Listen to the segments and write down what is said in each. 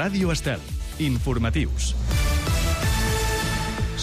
Ràdio Estel. Informatius.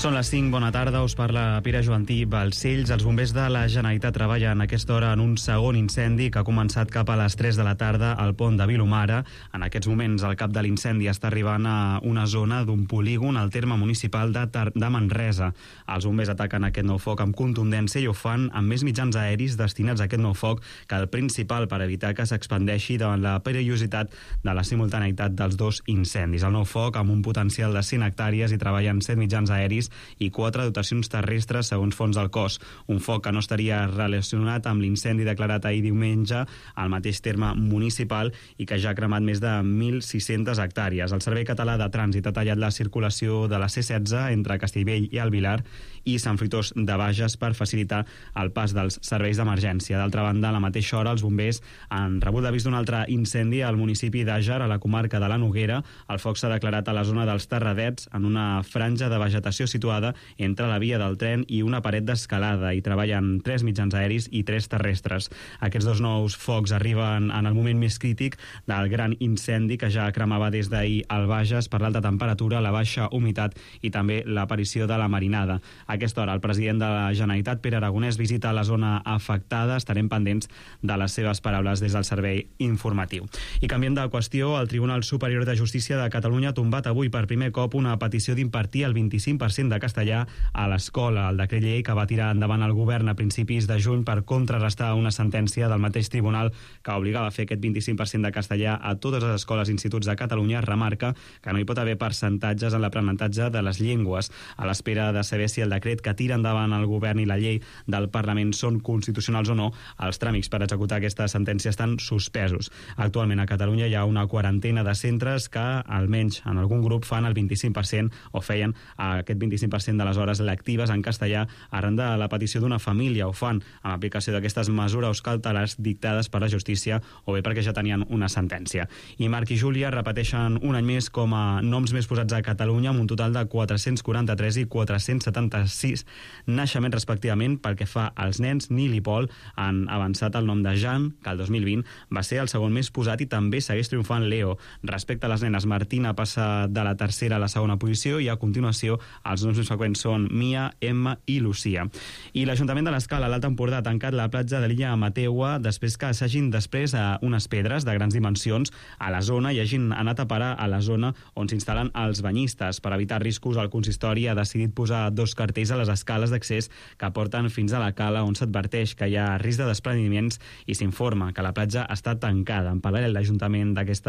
Són les 5, bona tarda, us parla Pere Joantí. Balcells, els bombers de la Generalitat treballen a aquesta hora en un segon incendi que ha començat cap a les 3 de la tarda al pont de Vilomara. En aquests moments el cap de l'incendi està arribant a una zona d'un polígon al terme municipal de Manresa. Els bombers ataquen aquest nou foc amb contundència i ho fan amb més mitjans aeris destinats a aquest nou foc que el principal per evitar que s'expandeixi davant la perillositat de la simultaneïtat dels dos incendis. El nou foc, amb un potencial de 100 hectàrees, i treballen 7 mitjans aeris i 4 dotacions terrestres segons fons del cos. Un foc que no estaria relacionat amb l'incendi declarat ahir diumenge al mateix terme municipal i que ja ha cremat més de 1.600 hectàrees. El Servei Català de Trànsit ha tallat la circulació de la C16 entre Castellbell i el Vilar i Sant Fruitós de Bages per facilitar el pas dels serveis d'emergència. D'altra banda, a la mateixa hora, els bombers han rebut l'avís d'un altre incendi al municipi d'Àger, a la comarca de la Noguera. El foc s'ha declarat a la zona dels Terradets, en una franja de vegetació situada entre la via del tren i una paret d'escalada. Hi treballen 3 mitjans aeris i 3 terrestres. Aquests dos nous focs arriben en el moment més crític del gran incendi que ja cremava des d'ahir al Bages per l'alta temperatura, la baixa humitat i també l'aparició de la marinada. A aquesta hora, el president de la Generalitat, Pere Aragonès, visita la zona afectada. Estarem pendents de les seves paraules des del servei informatiu. I canviem de qüestió, el Tribunal Superior de Justícia de Catalunya ha tombat avui per primer cop una petició d'impartir el 25% de castellà a l'escola. El decret llei que va tirar endavant el govern a principis de juny per contrarrestar una sentència del mateix tribunal que obligava a fer aquest 25% de castellà a totes les escoles i instituts de Catalunya remarca que no hi pot haver percentatges en l'aprenentatge de les llengües. A l'espera de saber si el decret que tira endavant el govern i la llei del Parlament són constitucionals o no, els tràmits per executar aquesta sentència estan suspesos. Actualment a Catalunya hi ha una quarantena de centres que, almenys en algun grup, fan el 25% o feien aquest 25% de les hores lectives en castellà arran de la petició d'una família. Ho fan amb aplicació d'aquestes mesures cautelars dictades per la justícia o bé perquè ja tenien una sentència. I Marc i Júlia repeteixen un any més com a noms més posats a Catalunya, amb un total de 443 i 476 naixements respectivament. Pel que fa als nens, Nil i Pol han avançat el nom de Jan, que el 2020 va ser el segon més posat, i també segueix triomfant Leo. Respecte a les nenes, Martina passa de la tercera a la segona posició i a continuació els noms més freqüents són Mia, Emma i Lucía. I l'Ajuntament de l'Escala, a l'Alt Empordà, ha tancat la platja de l'illa Amateua després que s'hagin després a unes pedres de grans dimensions a la zona i hagin anat a parar a la zona on s'instal·len els banyistes. Per evitar riscos, el consistori ha decidit posar 2 cartells a les escales d'accés que porten fins a la cala, on s'adverteix que hi ha risc de despreniments i s'informa que la platja està tancada. En paral·lel, l'Ajuntament d'aquest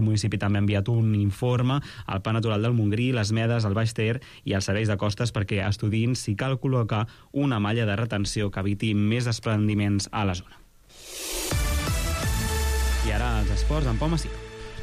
municipi també ha enviat un informe al Parc Natural del Montgrí, les Medes, el Baix Ter i els serveis de costes perquè estudiïn si cal col·locar una malla de retenció que eviti més despreniments a la zona. I ara els esports amb Pau Massip.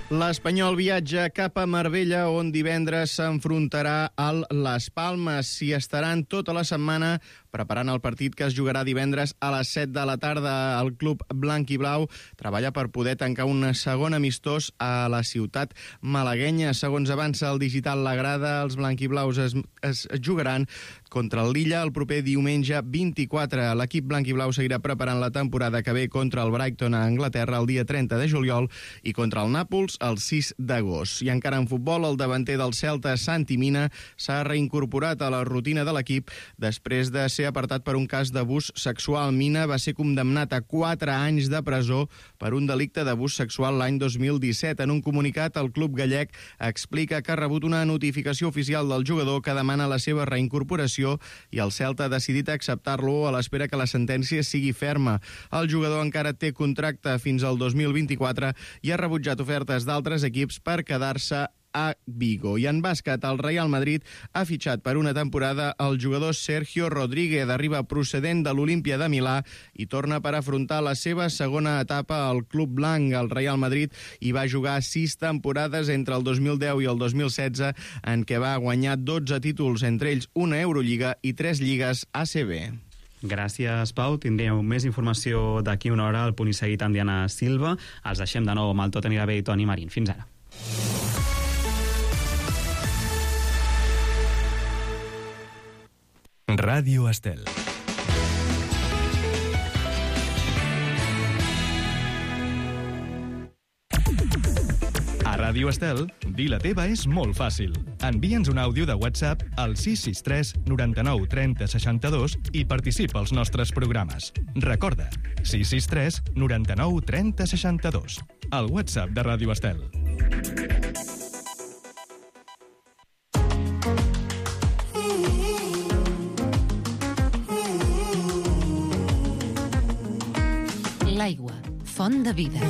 L'Espanyol viatja cap a Marbella, on divendres s'enfrontarà al Las Palmas. S'hi estaran tota la setmana preparant el partit que es jugarà divendres a les 7 de la tarda. El club blanc i blau treballa per poder tancar un segon amistós a la ciutat malaguenya. Segons avança el digital La Grada, els blanc i blaus es jugaran contra el Lilla el proper diumenge 24. L'equip blanc i blau seguirà preparant la temporada que ve contra el Brighton a Anglaterra el dia 30 de juliol i contra el Nàpols el 6 d'agost. I encara en futbol, el davanter del Celta, Santi Mina, s'ha reincorporat a la rutina de l'equip després de ser apartat per un cas d'abús sexual. Mina va ser condemnat a 4 anys de presó per un delicte d'abús sexual l'any 2017. En un comunicat, el club gallec explica que ha rebut una notificació oficial del jugador que demana la seva reincorporació i el Celta ha decidit acceptar-lo a l'espera que la sentència sigui ferma. El jugador encara té contracte fins al 2024 i ha rebutjat ofertes d'altres equips per quedar-se a Vigo. I en bàsquet, el Real Madrid ha fitxat per una temporada el jugador Sergio Rodríguez, arriba procedent de l'Olímpia de Milà i torna per afrontar la seva segona etapa al club blanc. El Real Madrid hi va jugar 6 temporades entre el 2010 i el 2016, en què va guanyar 12 títols, entre ells una Eurolliga i 3 lligues ACB. Gràcies, Pau. Tindríeu més informació d'aquí una hora al Punt i Seguit amb Diana Silva. Els deixem de nou amb el Tot anirà bé i Toni Marín. Fins ara. Ràdio Estel. A Ràdio Estel, dir la teva és molt fàcil. Envia'ns un àudio de WhatsApp al 663 99 30 62 i participa als nostres programes. Recorda, 663 99 30 62. El WhatsApp de Ràdio Estel. L'aigua, font de vida.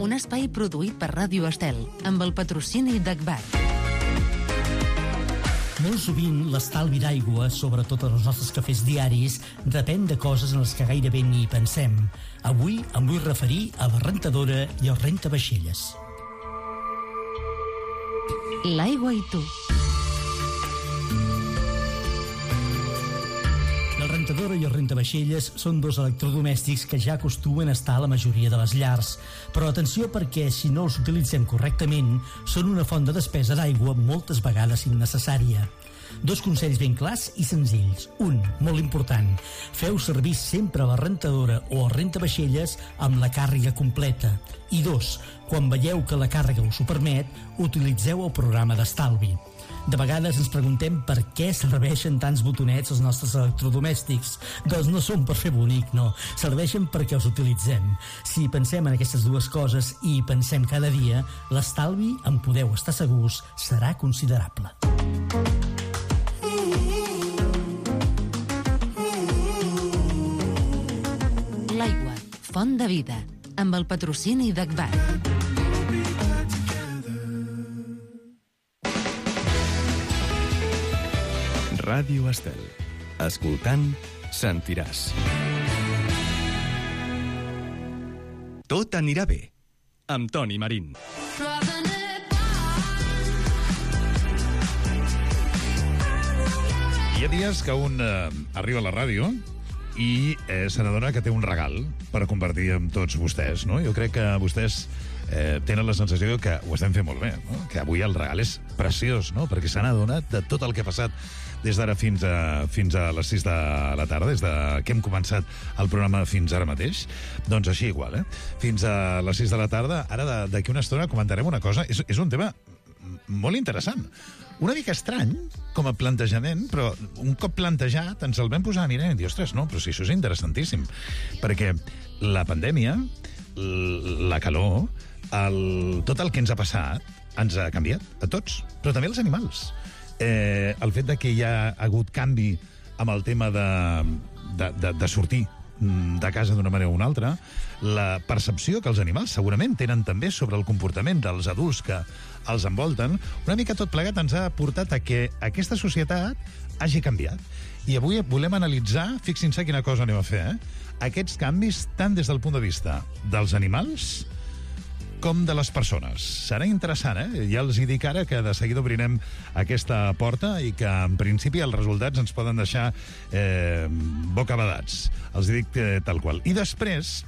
Un espai produït per Ràdio Estel, amb el patrocini d'Agbar. Molt sovint l'estalvi d'aigua, sobretot en els nostres cafès diaris, depèn de coses en les que gairebé ni pensem. Avui em vull referir a la rentadora i el rentavaixelles. L'aigua i tu. La rentadora i el rentavaixelles són dos electrodomèstics que ja acostumen a estar a la majoria de les llars. Però atenció, perquè si no els utilitzem correctament, són una font de despesa d'aigua moltes vegades innecessària. Dos consells ben clars i senzills. Un, molt important, feu servir sempre la rentadora o el rentavaixelles amb la càrrega completa. I dos, quan veieu que la càrrega us ho permet, utilitzeu el programa d'estalvi. De vegades ens preguntem per què serveixen tants botonets els nostres electrodomèstics. Doncs no són per fer bonic, no. Serveixen perquè els utilitzem. Si pensem en aquestes dues coses i pensem cada dia, l'estalvi, en podeu estar segurs, serà considerable. L'aigua, font de vida, amb el patrocini d'Agbar. Ràdio Estel. Escoltant, sentiràs. Tot anirà bé. Amb Toni Marín. Hi ha dies que un arriba a la ràdio i se n'adona que té un regal per compartir amb tots vostès, no? Jo crec que vostès tenen la sensació que ho estem fent molt bé, no? Que avui el regal és preciós, no? Perquè s'han adonat de tot el que ha passat des d'ara fins a les 6 de la tarda, des de que hem començat el programa fins ara mateix. Doncs així igual, fins a les 6 de la tarda. Ara, d'aquí una estona, comentarem una cosa. És un tema molt interessant. Una mica estrany, com a plantejament, però un cop plantejat ens el vam posar a mirar i dir, ostres, no, però si això és interessantíssim. Perquè la pandèmia, la calor, tot el que ens ha passat ens ha canviat a tots, però també als animals. El fet de que hi ha hagut canvi amb el tema de sortir de casa d'una manera o una altra, la percepció que els animals segurament tenen també sobre el comportament dels adults que els envolten, una mica tot plegat ens ha portat a que aquesta societat hagi canviat. I avui volem analitzar, fixin-se quina cosa anem a fer, aquests canvis tant des del punt de vista dels animals com de les persones. Serà interessant, Ja els hi dic ara que de seguida obrirem aquesta porta i que, en principi, els resultats ens poden deixar bocabadats. Els hi dic tal qual. I després,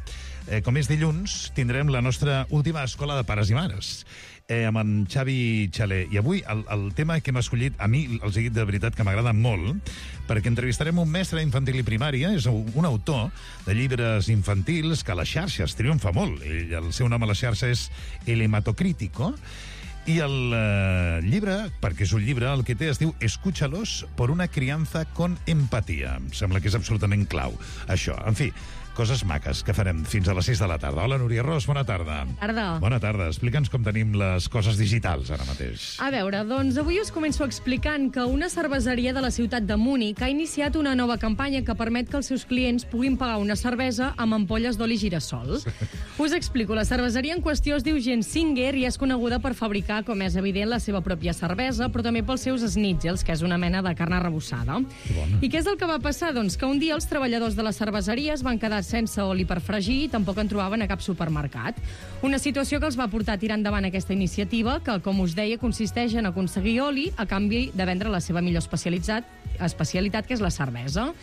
com és dilluns, tindrem la nostra última escola de pares i mares, amb en Xavi Xaler. I avui el tema que hem escollit, a mi els he dit de veritat que m'agrada molt, perquè entrevistarem un mestre d'infantil i primària, és un autor de llibres infantils que a les xarxes triomfa molt. El seu nom a la xarxa és El Hematocrítico, i el llibre, perquè és un llibre, el que té es diu Escúchalos por una crianza con empatía. Em sembla que és absolutament clau, això. En fi, coses maques que farem fins a les 6 de la tarda. Hola, Núria Ros, bona tarda. Tarda. Bona tarda. Explica'ns com tenim les coses digitals ara mateix. A veure, doncs avui us començo explicant que una cerveseria de la ciutat de Múnich ha iniciat una nova campanya que permet que els seus clients puguin pagar una cervesa amb ampolles d'oli girassol. Us explico. La cerveseria en qüestió es diu Gensinger i és coneguda per fabricar, com és evident, la seva pròpia cervesa, però també pels seus schnitzels, que és una mena de carn arrebossada. I què és el que va passar? Doncs que un dia els treballadors de la cerveseria es van quedar sense oli per fregir i tampoc en trobaven a cap supermercat. Una situació que els va portar a tirar endavant aquesta iniciativa, que, com us deia, consisteix en aconseguir oli a canvi de vendre la seva millor especialitat, especialitat, que és la cervesa.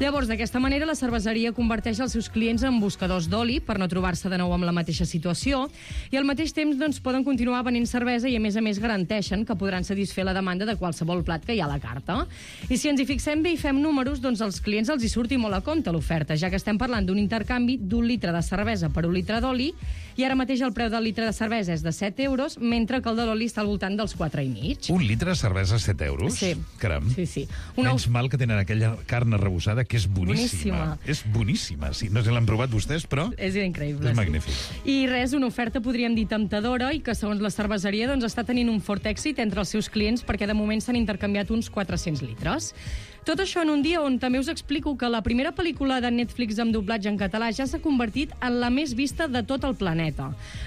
Llavors, d'aquesta manera, la cerveseria converteix els seus clients en buscadors d'oli per no trobar-se de nou amb la mateixa situació i al mateix temps doncs, poden continuar venent cervesa i, a més, garanteixen que podran satisfer la demanda de qualsevol plat que hi ha a la carta. I si ens hi fixem bé i fem números, doncs als clients els hi surti molt a compte l'oferta, ja que estem parlant d'un intercanvi d'1 litre de cervesa per 1 litre d'oli i ara mateix el preu del litre de cervesa és de 7 euros, mentre que el de l'oli està al voltant dels 4,5. Un litre de cervesa, 7 euros? Sí. Caram. Sí. Menys mal que tenen aquella carn arrebossada que és boníssima. És boníssima. Sí, no sé si l'han provat vostès, però és increïble. És magnífic. I res, una oferta podríem dir temptadora i que segons la cerveseria doncs, està tenint un fort èxit entre els seus clients perquè de moment s'han intercanviat uns 400 litres. Tot això en un dia on també us explico que la primera pel·lícula de Netflix amb doblatge en català ja s'ha convertit en la més vista de tot el planeta.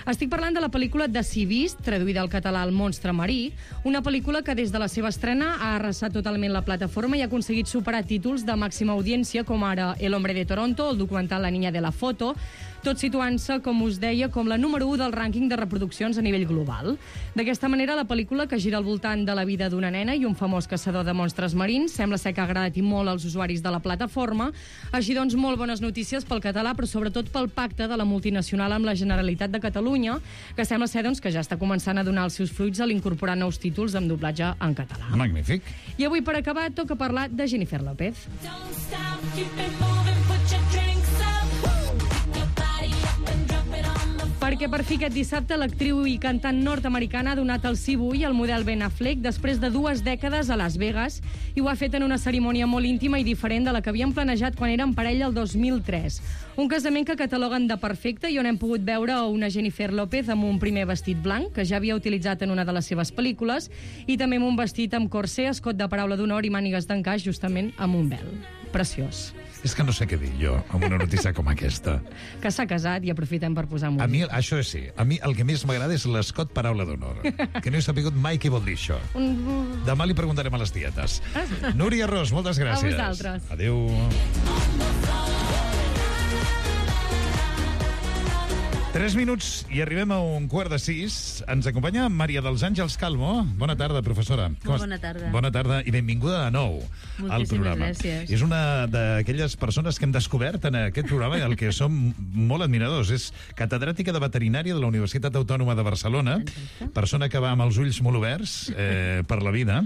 Estic parlant de la pel·lícula de Sea Beast, traduïda al català El monstre marí, una pel·lícula que des de la seva estrena ha arrasat totalment la plataforma i ha aconseguit superar títols de màxima audiència com ara El hombre de Toronto, el documental La niña de la foto, tot situant-se, com us deia, com la número 1 del rànquing de reproduccions a nivell global. D'aquesta manera, la pel·lícula, que gira al voltant de la vida d'una nena i un famós caçador de monstres marins, sembla ser que ha agradat i molt als usuaris de la plataforma. Així doncs, molt bones notícies pel català, però sobretot pel pacte de la multinacional amb la Generalitat de Catalunya, que sembla ser doncs, que ja està començant a donar els seus fruits a l'incorporar nous títols amb doblatge en català. Magnífic. I avui, per acabar, toca parlar de Jennifer López. Perquè per fi aquest dissabte l'actriu i cantant nord-americana ha donat el sí avui al model Ben Affleck després de 2 dècades a Las Vegas i ho ha fet en una cerimònia molt íntima i diferent de la que havien planejat quan eren parella el 2003. Un casament que cataloguen de perfecte i on hem pogut veure una Jennifer López amb un primer vestit blanc, que ja havia utilitzat en una de les seves pel·lícules, i també amb un vestit amb corsé, escot de paraula d'honor i mànigues d'encaix, justament amb un vel. Preciós. És que no sé què dir jo amb una notícia com aquesta. Que s'ha casat i aprofitem per posar música. A mi, això sí, a mi el que més m'agrada és l'escot paraula d'honor, que no he sabut mai què vol dir això. Demà li preguntarem a les tietes. Núria Ros, moltes gràcies. A vosaltres. Adéu. 3 minuts i arribem a 5:15. Ens acompanya Maria dels Àngels Calvo. Bona tarda, professora. Bona tarda. Bona tarda i benvinguda de nou al programa. Gràcies. És una d'aquelles persones que hem descobert en aquest programa i el que som molt admiradors. És catedràtica de veterinària de la Universitat Autònoma de Barcelona, persona que va amb els ulls molt oberts per la vida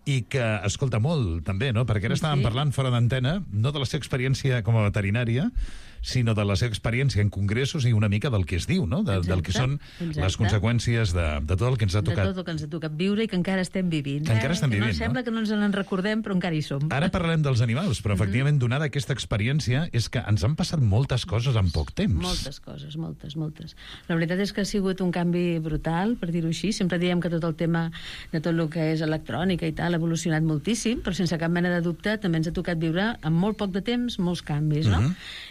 i que escolta molt, també, no? Perquè ara estàvem parlant fora d'antena, no de la seva experiència com a veterinària, sinó de la seva experiència en congressos i una mica del que es diu, no? Del que són les conseqüències de tot el que ens ha tocat. De tot el que ens ha tocat viure i que encara estem vivint. Que encara estem vivint, no? Sembla que no ens en recordem, però encara hi som. Ara parlarem dels animals, però efectivament, donada aquesta experiència, és que ens han passat moltes coses en poc temps. Moltes coses, moltes. La veritat és que ha sigut un canvi brutal, per dir-ho així. Sempre diem que tot el tema de tot el que és electrònica i tal ha evolucionat moltíssim, però sense cap mena de dubte també ens ha tocat viure en molt poc de temps molts canvis, no?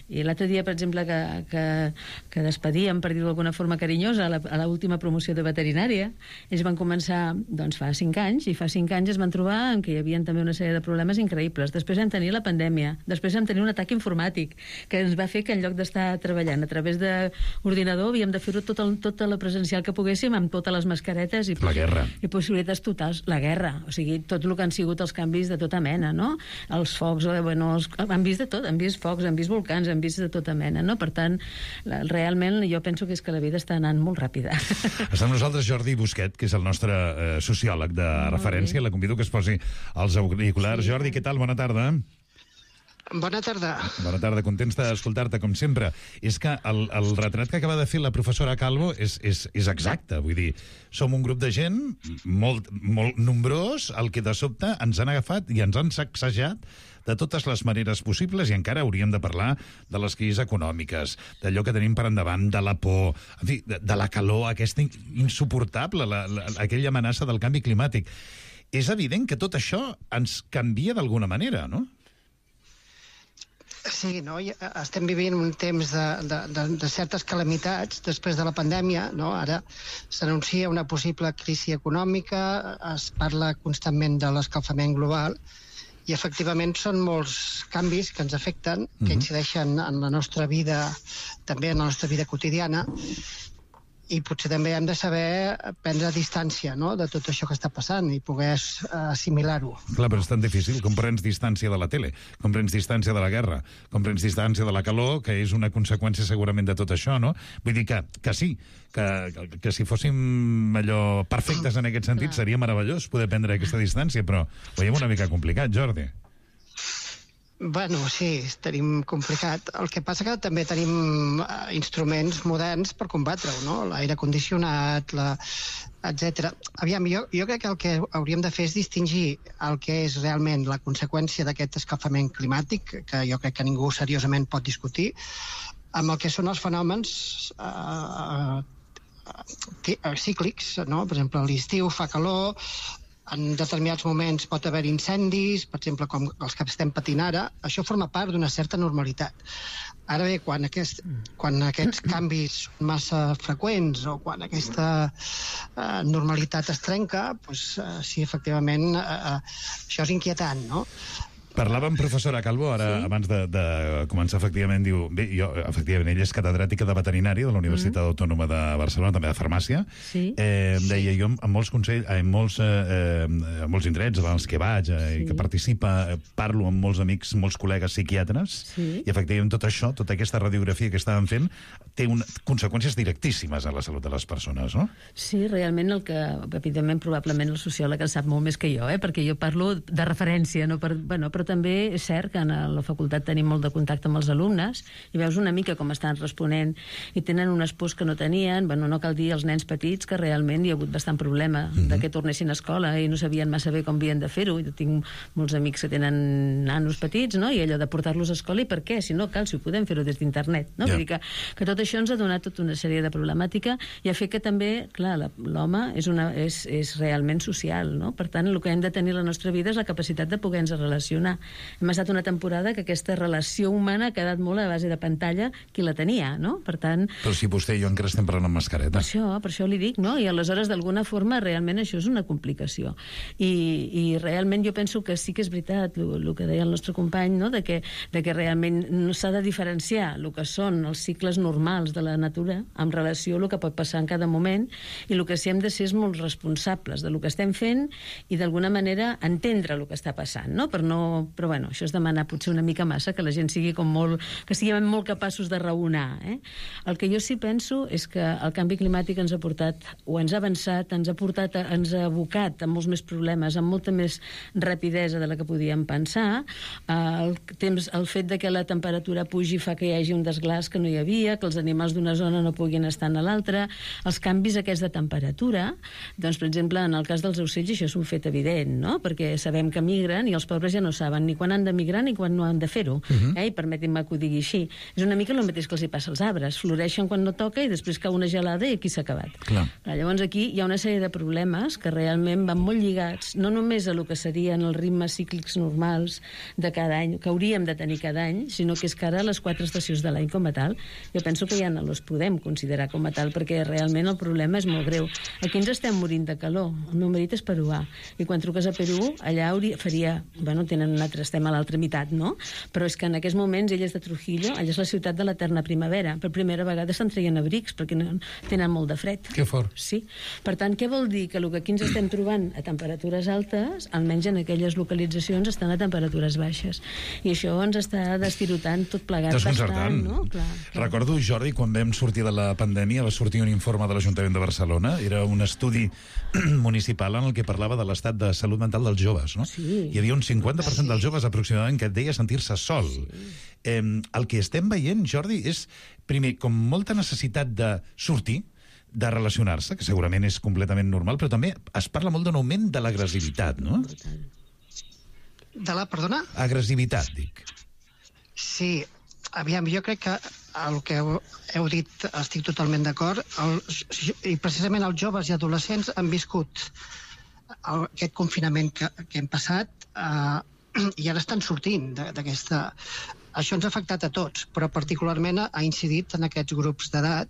I l'altre dia, per exemple, que despedíem, per dir-ho d'alguna forma carinyosa, a l'última promoció de veterinària, ells van començar doncs, fa 5 anys, i fa 5 anys es van trobar en què hi havia també una sèrie de problemes increïbles. Després vam tenir la pandèmia, després vam tenir un atac informàtic, que ens va fer que en lloc d'estar treballant a través d'ordinador havíem de fer-ho tota la presencial que poguéssim, amb totes les mascaretes i possibilitats totals. La guerra, o sigui, tot el que han sigut els canvis de tota mena, no? Els focs, han vist de tot, han vist focs, han vist volcans, han vist de tota mena, no? Per tant, realment jo penso que és que la vida està anant molt ràpida. Està amb nosaltres Jordi Busquet, que és el nostre sociòleg de referència. La convido que es posi els auriculars. Sí. Jordi, què tal? Bona tarda. Bona tarda. Bona tarda, contents d'escoltar-te, com sempre. És que el retrat que acaba de fer la professora Calvo és exacte. Vull dir, som un grup de gent molt nombrós, el que de sobte ens han agafat i ens han sacsejat de totes les maneres possibles, i encara hauríem de parlar de les crisis econòmiques, d'allò que tenim per endavant, de la por, en fi, de la calor aquesta insuportable, aquella amenaça del canvi climàtic. És evident que tot això ens canvia d'alguna manera, no? Sí, no? Estem vivint un temps de certes calamitats després de la pandèmia, no? Ara s'anuncia una possible crisi econòmica, es parla constantment de l'escalfament global, i efectivament són molts canvis que ens afecten, que incideixen en la nostra vida, també en la nostra vida quotidiana, i potser també hem de saber prendre distància, no?, de tot això que està passant i poder assimilar-ho. Clar, però és tan difícil. Com prens distància de la tele, com prens distància de la guerra, com prens distància de la calor, que és una conseqüència segurament de tot això, no? Vull dir que sí, que si fóssim allò perfectes en aquest sentit seria meravellós poder prendre aquesta distància, però ho veiem una mica complicat, Jordi. Bueno, sí, tenim complicat. El que passa que també tenim instruments moderns per combatre-ho, no? L'aire condicionat, etc. Aviam, jo crec que el que hauríem de fer és distingir el que és realment la conseqüència d'aquest escalfament climàtic, que jo crec que ningú seriosament pot discutir, amb el que són els fenòmens cíclics, no? Per exemple, a l'estiu fa calor, en determinats moments pot haver incendis, per exemple, com els que estem patint ara. Això forma part d'una certa normalitat. Ara bé, quan aquests canvis són massa freqüents o quan aquesta normalitat es trenca, doncs sí, efectivament, això és inquietant, no? Parlàvem, professora Calvo, ara, abans de començar, efectivament, diu... Bé, efectivament, ella és catedràtica de veterinària de la Universitat Autònoma de Barcelona, també de farmàcia. Sí. Deia, jo en molts consells, en molts indrets als que vaig i que participa, parlo amb molts amics, molts col·legues psiquiatres, i efectivament tot això, tota aquesta radiografia que estàvem fent, té conseqüències directíssimes a la salut de les persones, no? Sí, realment el que, evidentment, probablement el sociòleg en sap molt més que jo, perquè jo parlo de referència, no? Però també és cert que a la facultat tenim molt de contacte amb els alumnes i veus una mica com estan responent i tenen unes pors que no tenien. Bueno, no cal dir als nens petits que realment hi ha hagut bastant problema de que tornessin a escola i no sabien massa bé com havien de fer-ho. Jo tinc molts amics que tenen nanos petits, no? I allò de portar-los a escola, i per què? Si no cal, si ho podem fer-ho des d'internet, no? Vull dir que tot això ens ha donat tota una sèrie de problemàtica i ha fet que també, clar, l'home és realment social, no? Per tant, el que hem de tenir a la nostra vida és la capacitat de poder-nos relacionar. Hem estat una temporada que aquesta relació humana ha quedat molt a base de pantalla qui la tenia, no? Per tant... Però si vostè i jo encara estem parlant amb mascareta. Per això li dic, no? I aleshores, d'alguna forma, realment això és una complicació. I realment jo penso que sí que és veritat el que deia el nostre company, no? De que realment no s'ha de diferenciar el que són els cicles normals de la natura en relació a el que pot passar en cada moment, i el que sí hem de ser és molt responsables del que estem fent i d'alguna manera entendre el que està passant, no? Però bueno, això és demanar potser una mica massa, que la gent sigui que siguem molt capaços de raonar. El que jo sí penso és que el canvi climàtic ens ha portat, o ens ha avançat, ens ha abocat a molts més problemes, amb molta més rapidesa de la que podíem pensar. El fet de que la temperatura pugi fa que hi hagi un desglàs que no hi havia, que els animals d'una zona no puguin estar a l'altra, els canvis aquests de temperatura, doncs, per exemple, en el cas dels ocells això és un fet evident, no? Perquè sabem que migren i els pobres ja no saben ni quan han de migrar ni quan no han de fer-ho. I permetin-me que ho digui així. És una mica el mateix que els hi passa als arbres. Floreixen quan no toca i després cau una gelada i aquí s'ha acabat. Llavors aquí hi ha una sèrie de problemes que realment van molt lligats, no només a el que serien els ritmes cíclics normals de cada any, que hauríem de tenir cada any, sinó que és que ara les 4 estacions de l'any com a tal, jo penso que ja no les podem considerar com a tal, perquè realment el problema és molt greu. Aquí ens estem morint de calor. El meu marit és peruà, i quan truques a Perú, allà faria... Bueno, estem a l'altra meitat, no? Però és que en aquests moments ell és de Trujillo, allà és la ciutat de l'eterna primavera. Per primera vegada se'n treien abrics perquè tenen molt de fred. Que fort. Sí. Per tant, què vol dir? Que el que aquí ens estem trobant a temperatures altes, almenys en aquelles localitzacions, estan a temperatures baixes. I això ens està destirotant tot plegat. Desconcertant. No? Clar. Recordo, Jordi, quan vam sortir de la pandèmia, va sortir un informe de l'Ajuntament de Barcelona. Era un estudi municipal en el que parlava de l'estat de salut mental dels joves, no? Sí. Hi havia un 50% dels joves aproximadament que et deia sentir-se sol. El que estem veient, Jordi, és, primer, com molta necessitat de sortir, de relacionar-se, que segurament és completament normal, però també es parla molt d'un augment de l'agressivitat, no? De la, perdona? Agressivitat, dic. Sí, aviam, jo crec que el que heu dit estic totalment d'acord, i precisament els joves i adolescents han viscut aquest confinament que hem passat i ara estan sortint d'aquesta... Això ens ha afectat a tots, però particularment ha incidit en aquests grups d'edat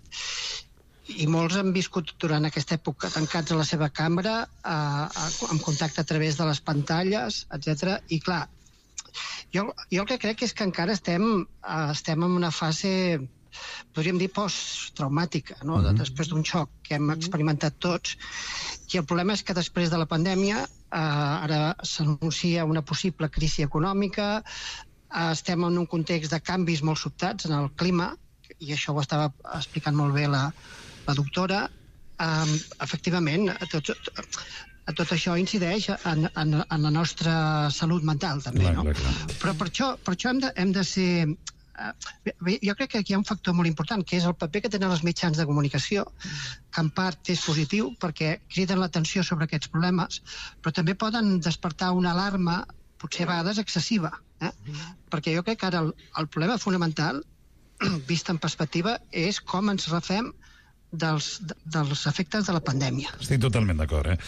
i molts han viscut durant aquesta època tancats a la seva cambra, amb contacte a través de les pantalles, etc. I clar, jo el que crec és que encara estem en una fase, podríem dir, postraumàtica, no? Després d'un xoc que hem experimentat tots. I el problema és que després de la pandèmia ara s'anuncia una possible crisi econòmica, estem en un context de canvis molt sobtats en el clima, i això ho estava explicant molt bé la doctora. Efectivament, tot això incideix en la nostra salut mental, també, no? Però per això hem de ser... Jo crec que aquí hi ha un factor molt important, que és el paper que tenen els mitjans de comunicació, que en part és positiu perquè criden l'atenció sobre aquests problemes, però també poden despertar una alarma, potser a vegades excessiva, perquè jo crec que ara el problema fonamental, vist en perspectiva, és com ens refem dels efectes de la pandèmia. Estic totalment d'acord,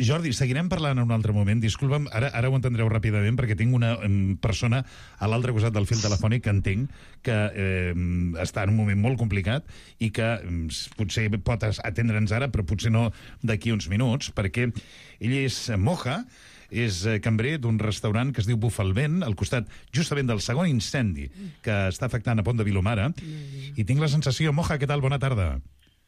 Jordi, seguirem parlant en un altre moment. Disculpa'm, ara ho entendreu ràpidament, perquè tinc una persona a l'altre costat del fil telefònic que entenc que està en un moment molt complicat i que potser pot atendre'ns ara, però potser no d'aquí uns minuts, perquè ell és Moja, és cambrer d'un restaurant que es diu Bufalvent, al costat justament del segon incendi que està afectant a Pont de Vilomara, i tinc la sensació... Moja, què tal? Bona tarda.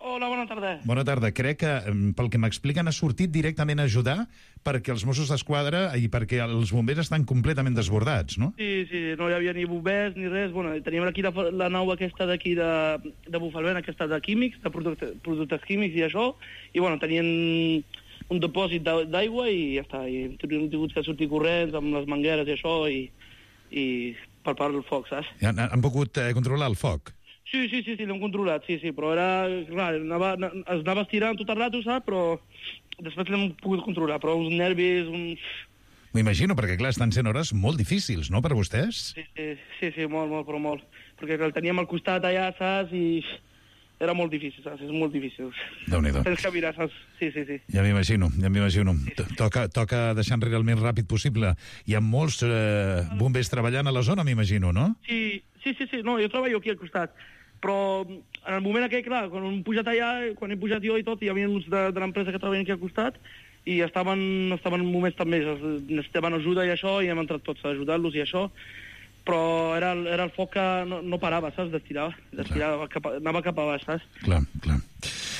Hola, bona tarda. Bona tarda. Crec que, pel que m'expliquen, ha sortit directament a ajudar perquè els Mossos d'Esquadra i perquè els bombers estan completament desbordats, no? Sí, no hi havia ni bombers ni res. Bueno, teníem aquí la nau aquesta d'aquí de Bufalvent, aquesta de químics, de productes químics i això, i bueno, tenien un depòsit d'aigua i ja està. I hem tingut que sortir corrents amb les mangueres i això i per part del foc, saps? Han pogut controlar el foc? Sí, l'hem controlat, sí, però era... Clar, es anava estirant tot el rato, saps? Però després l'hem pogut controlar, però uns nervis, M'imagino, perquè clar, estan sent hores molt difícils, no, per vostès? Sí, molt, però molt. Perquè el teníem al costat allà, saps? I era molt difícil, saps? És molt difícil. Déu-n'hi-do. Tens que mirar, saps? Sí. Ja m'imagino. Toca deixar enrere el més ràpid possible. Hi ha molts bombers treballant a la zona, m'imagino, no? Sí. No, jo treballo aquí al costat. Però en el moment aquell, clar, quan hem pujat allà, quan he pujat jo i tot, hi havia uns de l'empresa que treballen aquí al costat i estaven en moments també, necessitaven ajuda i això, i hem entrat tots a ajudar-los i això, però era el foc que no parava, saps? D'estirar, anava cap a baix, saps? Clar.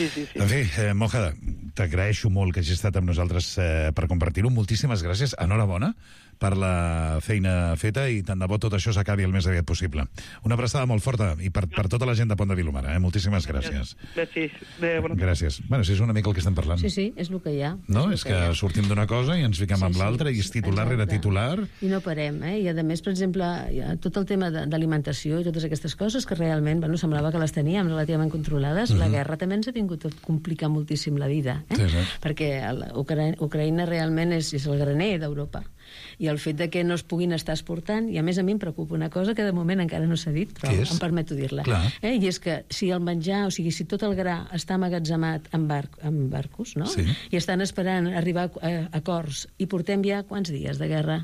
Sí. En fi, Moja, t'agraeixo molt que hagis estat amb nosaltres per compartir-ho. Moltíssimes gràcies. Enhorabona per la feina feta i tant de bo tot això s'acabi el més aviat possible. Una abraçada molt forta i per tota la gent de Pont de Vilomara. Moltíssimes gràcies. Gràcies. Bueno, si és una mica el que estem parlant. Sí, és el que hi ha. No, és que sortim d'una cosa i ens fiquem amb l'altra i és titular rere titular. I no parem, I a més, per exemple, tot el tema d'alimentació i totes aquestes coses que realment, semblava que les teníem relativament controlades. La guerra també ens ha tingut a complicar moltíssim la vida, perquè Ucraïna realment és el graner d'Europa. I el fet de que no es puguin estar exportant, i a més a mi em preocupa una cosa que de moment encara no s'ha dit, però em permeto dir-la. I és que si el menjar, o sigui, si tot el gra està emmagatzemat en barcos, no? I estan esperant arribar a acords, i portem ja quants dies de guerra,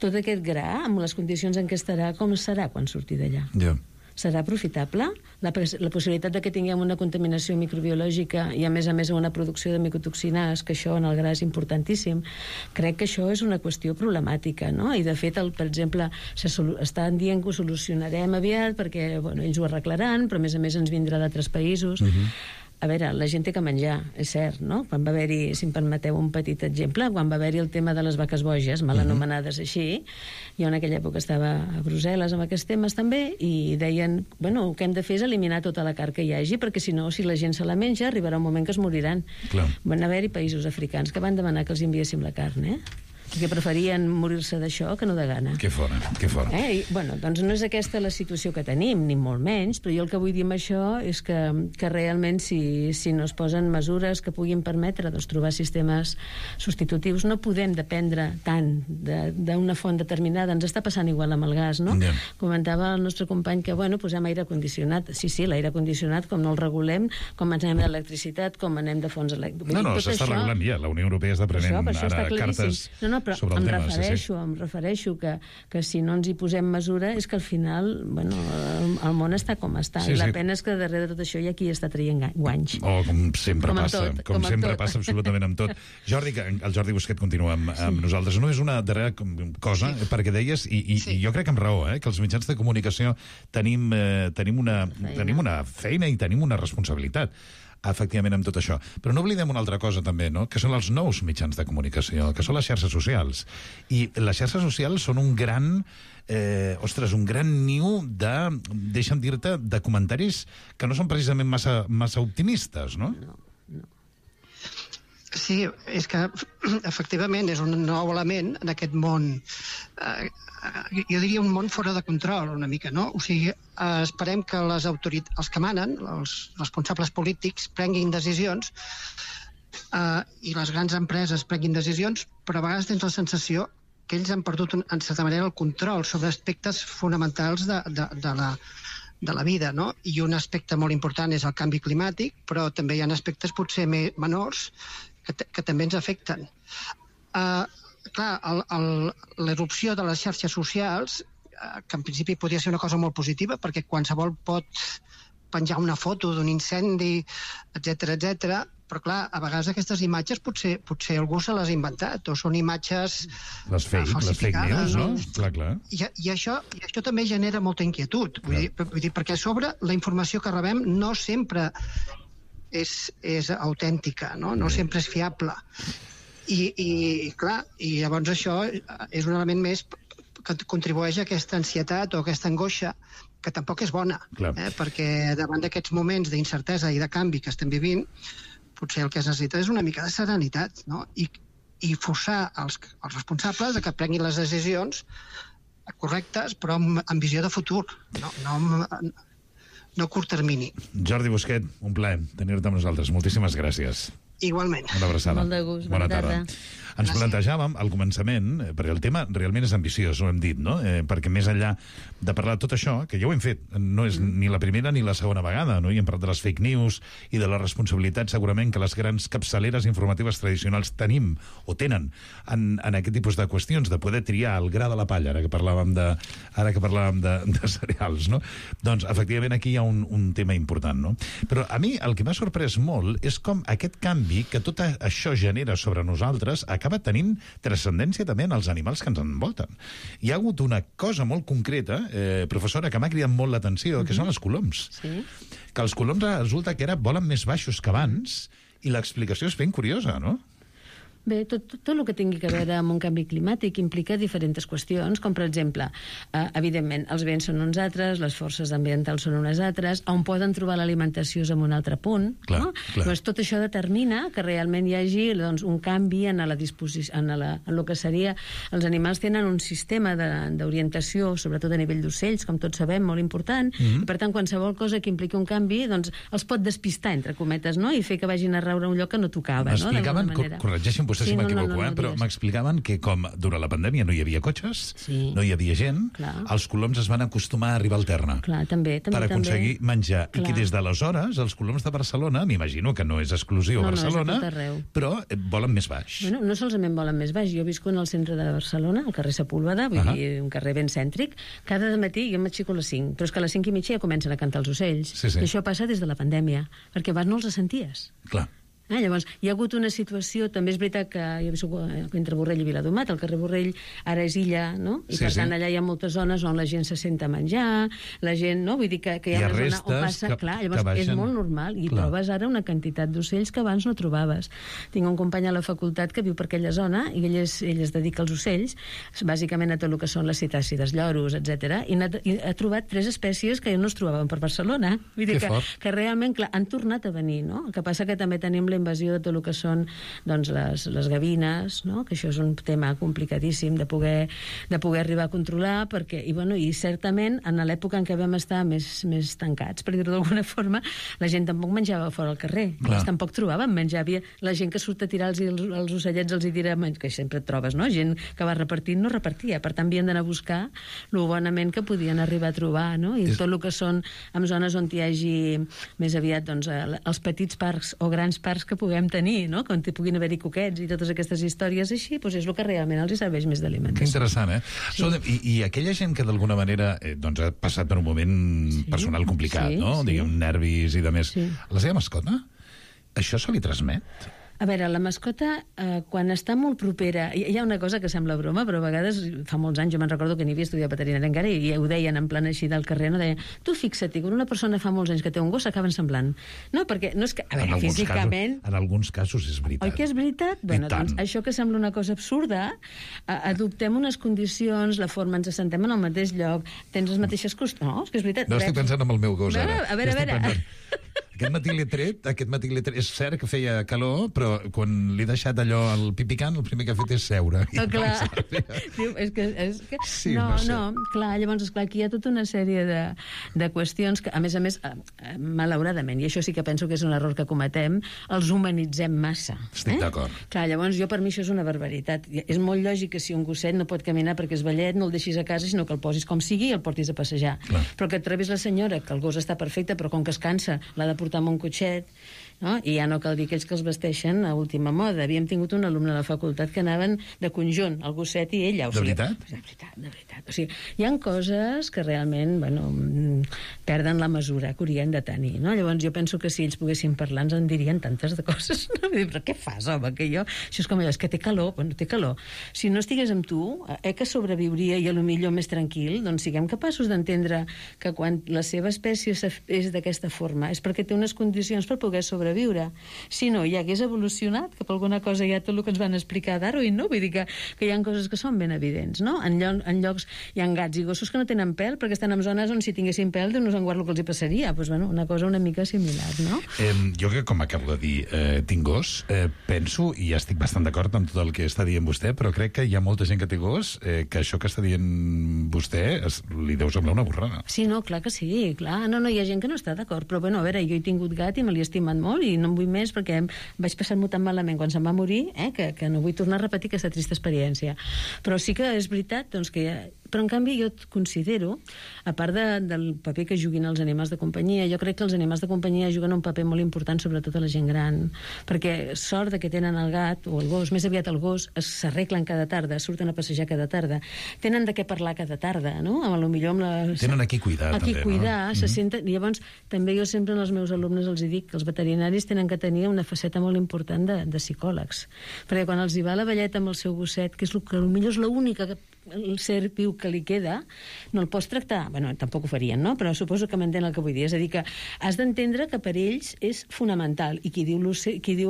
tot aquest gra, amb les condicions en què estarà, com serà quan surti d'allà? Serà aprofitable? La possibilitat de que tinguem una contaminació microbiològica i, a més, una producció de micotoxines, que això en el gra és importantíssim, crec que això és una qüestió problemàtica, no? I, de fet, per exemple, estan dient que ho solucionarem aviat perquè ells ho arreglaran, però, a més, ens vindrà d'altres països. A veure, la gent té que menjar, és cert, no? Quan va haver-hi, si em permeteu un petit exemple, quan va haver-hi el tema de les vaques boges, mal anomenades així, jo en aquella època estava a Brussel·les amb aquests temes també, i deien, el que hem de fer és eliminar tota la carn que hi hagi, perquè si no, si la gent se la menja, arribarà un moment que es moriran. Van haver-hi països africans que van demanar que els enviéssim la carn, perquè preferien morir-se d'això que no de gana. Que fora. Doncs no és aquesta la situació que tenim, ni molt menys, però jo el que vull dir amb això és que realment si no es posen mesures que puguin permetre trobar sistemes substitutius, no podem dependre tant d'una font determinada. Ens està passant igual amb el gas, no? Comentava el nostre company que, posem aire condicionat. Sí, l'aire condicionat, com no el regulem, com ens anem d'electricitat, com anem de fonts elèctriques. No, s'està regulant ja. La Unió Europea està prenent ara cartes... sobre el tema. Em refereixo que si no ens hi posem mesura és que al final, bueno, el món està com està, i la pena és que darrere de tot això hi ha qui està traient guanys. Com sempre passa absolutament amb tot. Jordi, el Jordi Busquet continua amb nosaltres. No és una darrera cosa, perquè deies, i jo crec que amb raó, que els mitjans de comunicació tenim una feina i tenim una responsabilitat, efectivament, amb tot això. Però no oblidem una altra cosa, també, no?, que són els nous mitjans de comunicació, que són les xarxes socials. I les xarxes socials són un gran niu de, deixa'm dir-te, de comentaris que no són precisament massa optimistes, no? No. Sí, és que efectivament és un nou element en aquest món, jo diria un món fora de control una mica, no? O sigui, esperem que els que manen, els responsables polítics, prenguin decisions i les grans empreses prenguin decisions, però a vegades tens la sensació que ells han perdut en certa manera el control sobre aspectes fonamentals de la vida, no? I un aspecte molt important és el canvi climàtic, però també hi ha aspectes potser menors que també ens afecten. Clar, l'erupció de les xarxes socials, que en principi podria ser una cosa molt positiva, perquè qualsevol pot penjar una foto d'un incendi, etc, però clar, a vegades aquestes imatges potser algú se les ha inventat, o són imatges falsificades. Les fake news, no? Clar. I això també genera molta inquietud, vull dir, perquè a sobre la informació que rebem no sempre és autèntica, no sempre és fiable. I clar, i llavors això és un element més que contribueix a aquesta ansietat o aquesta angoixa, que tampoc és bona, perquè davant d'aquests moments d'incertesa i de canvi que estem vivint, potser el que es necessita és una mica de serenitat, no? I forçar els responsables a que prenguin les decisions correctes, però amb visió de futur, no a curt termini. Jordi Busquet, un plaer tenir-te amb nosaltres. Moltíssimes gràcies. Igualment. Una abraçada. Molt de gust. Bona tarda. Ens plantejàvem al començament, perquè el tema realment és ambiciós, ho hem dit, no? Perquè més enllà de parlar de tot això, que ja ho hem fet, no és ni la primera ni la segona vegada, no? I hem parlat de les fake news i de la responsabilitat segurament que les grans capçaleres informatives tradicionals tenim o tenen en aquest tipus de qüestions, de poder triar el gra de la palla, ara que parlàvem de cereals, no? Doncs, efectivament, aquí hi ha un tema important, no? Però a mi el que m'ha sorprès molt és com aquest canvi que tot això genera sobre nosaltres acaba tenint transcendència també en els animals que ens envolten. Hi ha hagut una cosa molt concreta, professora, que m'ha cridat molt l'atenció, que són els coloms. Sí. Que els coloms resulta que ara volen més baixos que abans, i l'explicació és ben curiosa, no? Bé, tot el que tingui a veure amb un canvi climàtic implica diferents qüestions, com per exemple, evidentment, els vents són uns altres, les forces ambientals són unes altres, on poden trobar l'alimentació és en un altre punt. Clar. Doncs tot això determina que realment hi hagi un canvi en la disposició, en el que seria... Els animals tenen un sistema d'orientació, sobretot a nivell d'ocells, com tots sabem, molt important, i per tant, qualsevol cosa que impliqui un canvi, doncs els pot despistar, entre cometes, no? I fer que vagin a raure un lloc que no tocava, no? M'explicaven, corregeixin vostè si m'equivoco, però m'explicaven que com durant la pandèmia no hi havia cotxes, no hi havia gent, els coloms es van acostumar a arribar al terra per aconseguir menjar. I que des d'aleshores els coloms de Barcelona, m'imagino que no és exclusiu a Barcelona, però volen més baix. Bueno, no solament volen més baix. Jo visco en el centre de Barcelona, al carrer Sepúlveda, vull dir, un carrer ben cèntric. Cada matí jo m'aixeco a les 5, però és que a les 5:30 ja comencen a cantar els ocells. I això passa des de la pandèmia, perquè abans no els senties. Clar. Llavors, hi ha hagut una situació, també és veritat que jo visc entre Borrell i Viladomat, el carrer Borrell ara és illa, no? I per tant allà hi ha moltes zones on la gent se senta a menjar, la gent, no? Vull dir que hi ha una zona on passa... Clar, llavors és molt normal, i trobes ara una quantitat d'ocells que abans no trobaves. Tinc un company a la facultat que viu per aquella zona i ell es dedica als ocells, bàsicament a tot el que són les cetàcides, lloros, etc. I ha trobat 3 espècies que no es trobaven per Barcelona. Vull dir que realment, clar, han tornat a venir, no? El que passa que també tenim la invasió de tot el que són les gavines, no? Que això és un tema complicadíssim de poder arribar a controlar, perquè, i certament en l'època en què vam estar més tancats, per dir-ho d'alguna forma, la gent tampoc menjava fora al carrer, tampoc trobaven menjar, havia la gent que surt a tirar els ocellets els hi dirà, que sempre et trobes, no? Gent que va repartint no repartia, per tant havien d'anar a buscar lo bonament que podien arribar a trobar, no? I tot el que són en zones on hi hagi més aviat els petits parcs o grans parcs que puguem tenir, no? Quan puguin haver-hi coquets i totes aquestes històries així, doncs és el que realment els serveix més d'alimentació. Que interessant, eh? Sí. I aquella gent que d'alguna manera doncs ha passat per un moment personal complicat, no? Diguem, nervis i de més. La seva mascota, això se li transmet? A veure, la mascota, quan està molt propera... Hi ha una cosa que sembla broma, però a vegades, fa molts anys, jo me'n recordo que n'hi havia estudiat veterinària encara, i ho deien en plan així del carrer, no? Deien, tu fixa't, quan una persona fa molts anys que té un gos, s'acaben semblant. No, perquè no és que... A veure, físicament... En alguns casos és veritat. Oi que és veritat? Bueno, doncs això que sembla una cosa absurda, adoptem unes condicions, la forma, ens assentem en el mateix lloc, tens les mateixes costums... No, és que és veritat. No estic pensant en el meu gos, ara. A veure. Aquest matí l'he tret, és cert que feia calor, però quan li he deixat allò al pipicant, el primer que ha fet és seure. Clar. Diu, és que... Sí, no, clar, llavors, esclar, aquí hi ha tota una sèrie de qüestions que, a més, malauradament, i això sí que penso que és un error que cometem, els humanitzem massa. Estic d'acord. Clar, llavors, per mi això és una barbaritat. És molt lògic que si un gosset no pot caminar perquè és vellet, no el deixis a casa, sinó que el posis com sigui i el portis a passejar. Clar. Però que et trobis la senyora, que el gos està perfecte, però com que es cansa, l'ha de portar amb un cotxet, no? I ja no cal dir aquells que els vesteixen a última moda. Havíem tingut un alumne a la facultat que anaven de conjunt, el gosset i ella. De veritat? De veritat. O sigui, hi ha coses que realment, perden la mesura que haurien de tenir, no? Llavors jo penso que si ells poguessin parlar ens en dirien tantes de coses, no? Però què fas, home, que jo... Això és com allò, és que té calor. Bueno, té calor. Si no estigués amb tu, que sobreviuria i a lo millor més tranquil, doncs siguem capaços d'entendre que quan la seva espècie és d'aquesta forma és perquè té unes condicions per poder sobreviure. Si no, ja hagués evolucionat cap a alguna cosa, ja tot el que ens van explicar a Darwin, no? Vull dir que hi ha coses que són ben evidents, no? En llocs hi ha gats i gossos que no tenen pèl perquè estan en zones on si tinguessin pèl Déu no se'n guarda el que els hi passaria. Pues, una cosa una mica similar, no? Jo que, com acabo de dir, tinc gos, penso, i ja estic bastant d'acord amb tot el que està dient vostè, però crec que hi ha molta gent que té gos que això que està dient vostè li deu semblar una borrada. Sí, no, clar que sí, clar. No, hi ha gent que no està d'acord, però a veure, jo he tingut gat i me l'he estimat molt i no en vull més perquè vaig passar-m'ho tan malament quan se'm va morir que no vull tornar a repetir aquesta trista experiència. Però sí que és veritat doncs, que però en canvi jo considero, a part del paper que juguin els animals de companyia, jo crec que els animals de companyia juguen un paper molt important sobretot a la gent gran, perquè sort de que tenen el gat o el gos, més aviat el gos, s'arreglen cada tarda, surten a passejar cada tarda, tenen de què parlar cada tarda, no? Tenen a qui cuidar, també, no? Se senten... Llavors, també jo sempre als meus alumnes els dic que els veterinaris tenen que tenir una faceta molt important de psicòlegs, perquè quan els hi va la velleta amb el seu gosset, que és el que potser és l'única el ser viu que li queda, no el pots tractar... Bueno, tampoc ho farien, no? Però suposo que m'entén el que vull dir. És a dir, que has d'entendre que per ells és fonamental. I qui diu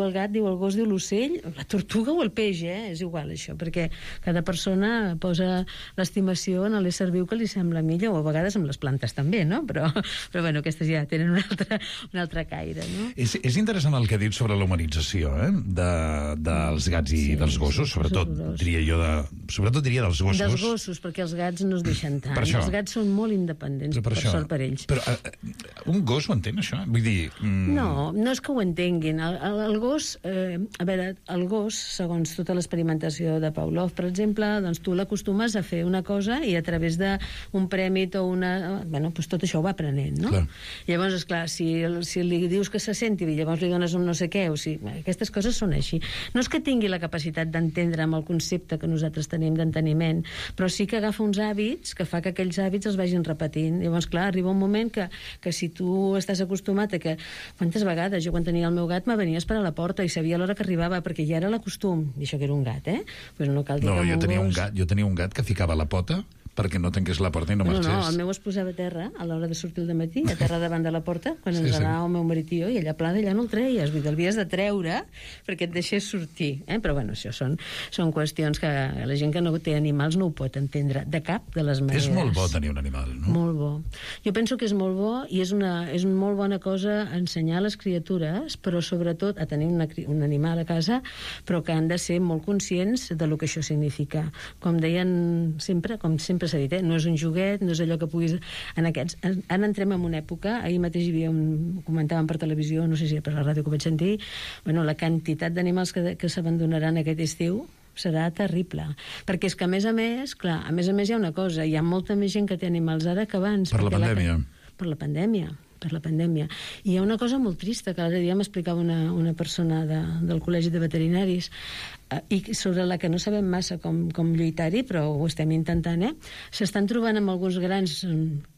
el gat, diu el gos, diu l'ocell, la tortuga o el peix, És igual, això, perquè cada persona posa l'estimació en l'ésser viu que li sembla millor, o a vegades amb les plantes també, no? Però bueno, aquestes ja tenen un altre caire, no? És interessant el que ha dit sobre la humanització, dels gats i dels gossos, sobretot diria dels gossos. Dels gossos, perquè els gats no es deixen tant. Els gats són molt independents, per sort per ells. Però un gos ho entén, això? Vull dir... No és que ho entenguin. El gos, a veure, el gos, segons tota l'experimentació de Pavlov, per exemple, doncs tu l'acostumes a fer una cosa i a través d'un prèmit o una... Bueno, doncs tot això ho va aprenent, no? Clar. Llavors, esclar, si li dius que se senti i llavors li dones un no sé què, o si... Aquestes coses són així. No és que tingui la capacitat d'entendre amb el concepte que nosaltres tenim d'enteniment, però sí que agafa uns hàbits que fa que aquells hàbits els vagin repetint. Llavors, clar, arriba un moment que si tu estàs acostumat a que... Quantes vegades jo quan tenia el meu gat me venia a esperar a la porta i sabia l'hora que arribava, perquè ja era l'acostum. I això que era un gat, Pues no cal dir que jo tenia un gat que ficava la pota perquè no tanqués la porta i no marxés. No, el meu es posava a terra a l'hora de sortir al dematí, a terra davant de la porta, quan ens anava el meu marit i jo, i allà pla d'allà no el treies, vull dir, l'havies de treure perquè et deixés sortir. Però bueno, això són qüestions que la gent que no té animals no ho pot entendre de cap de les maneres. És molt bo tenir un animal, no? Molt bo. Jo penso que és molt bo i és una molt bona cosa ensenyar a les criatures, però sobretot a tenir un animal a casa, però que han de ser molt conscients de lo que això significa. Com deien sempre, s'ha dit, no és un joguet, no és allò que puguis... Ara entrem en una època, ahir mateix hi havia ho comentàvem per televisió, no sé si per la ràdio que ho vaig sentir, la quantitat d'animals que s'abandonaran aquest estiu serà terrible. Perquè és que, a més a més, hi ha una cosa, hi ha molta més gent que té animals ara que abans. Per la pandèmia. Per la pandèmia. per la pandèmia. I hi ha una cosa molt trista, que l'altre dia m'explicava una persona del Col·legi de Veterinaris, i sobre la que no sabem massa com lluitar-hi, però ho estem intentant, s'estan trobant amb algunes grans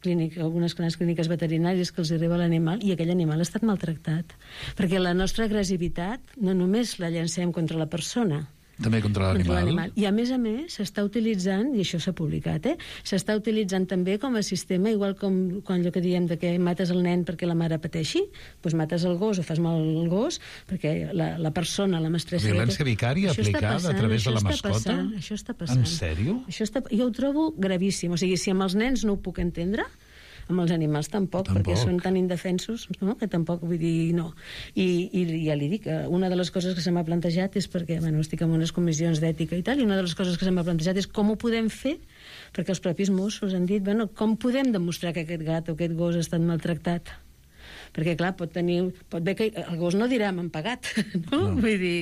clíniques veterinàries que els arriba l'animal i aquell animal ha estat maltractat. Perquè la nostra agressivitat no només la llancem contra la persona, també contra l'animal. I a més s'està utilitzant, i això s'ha publicat, s'està utilitzant també com a sistema, igual com quan allò que diem de que mates el nen perquè la mare pateixi, doncs mates el gos o fas mal al gos perquè la persona, la mestressa... Violència vicària aplicada a través de la mascota? Això està passant. En sèrio? Jo ho trobo gravíssim. O sigui, si amb els nens no ho puc entendre, amb els animals tampoc, perquè són tan indefensos, no? Que tampoc, vull dir, no. I ja li dic, una de les coses que se m'ha plantejat és perquè, estic en unes comissions d'ètica i tal, i una de les coses que se m'ha plantejat és com ho podem fer, perquè els propis Mossos han dit, com podem demostrar que aquest gat o aquest gos ha estat maltractat? Perquè, clar, pot bé que el gos no dirà m'han pagat, no? Vull dir...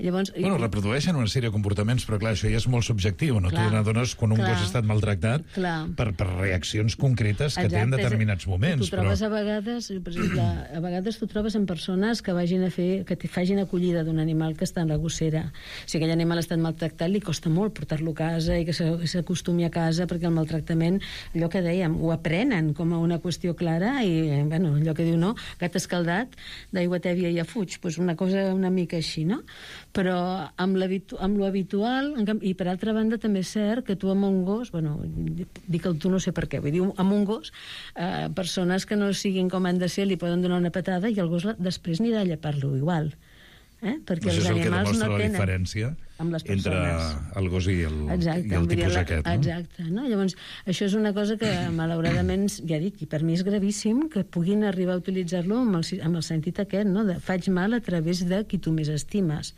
Llavors, reprodueixen una sèrie de comportaments, però clar, això ja és molt subjectiu, no? Tu n'adones quan un gos ha estat maltractat per reaccions concretes que té en determinats moments. Tu trobes a vegades, per exemple, tu trobes en persones que facin acollida d'un animal que està en la gossera. Si aquell animal ha estat maltractat, li costa molt portar-lo a casa i que s'acostumi a casa, perquè el maltractament, allò que dèiem, ho aprenen com a una qüestió clara i, allò que diu, no, gat escaldat, d'aigua tèbia ja fuig, doncs una cosa una mica així, no? Però amb lo habitual, i per altra banda també és cert que tu amb un gos, dic el tu no sé per què, vull dir, amb un gos, persones que no siguin com han de ser li poden donar una patada i el gos després anirà a llepar-lo igual. Perquè els animals no tenen... Això és el que demostra la diferència entre el gos i el tipus aquest. Exacte. Llavors, això és una cosa que, malauradament, ja dic, i per mi és gravíssim que puguin arribar a utilitzar-lo amb el sentit aquest, de faig mal a través de qui tu més estimes.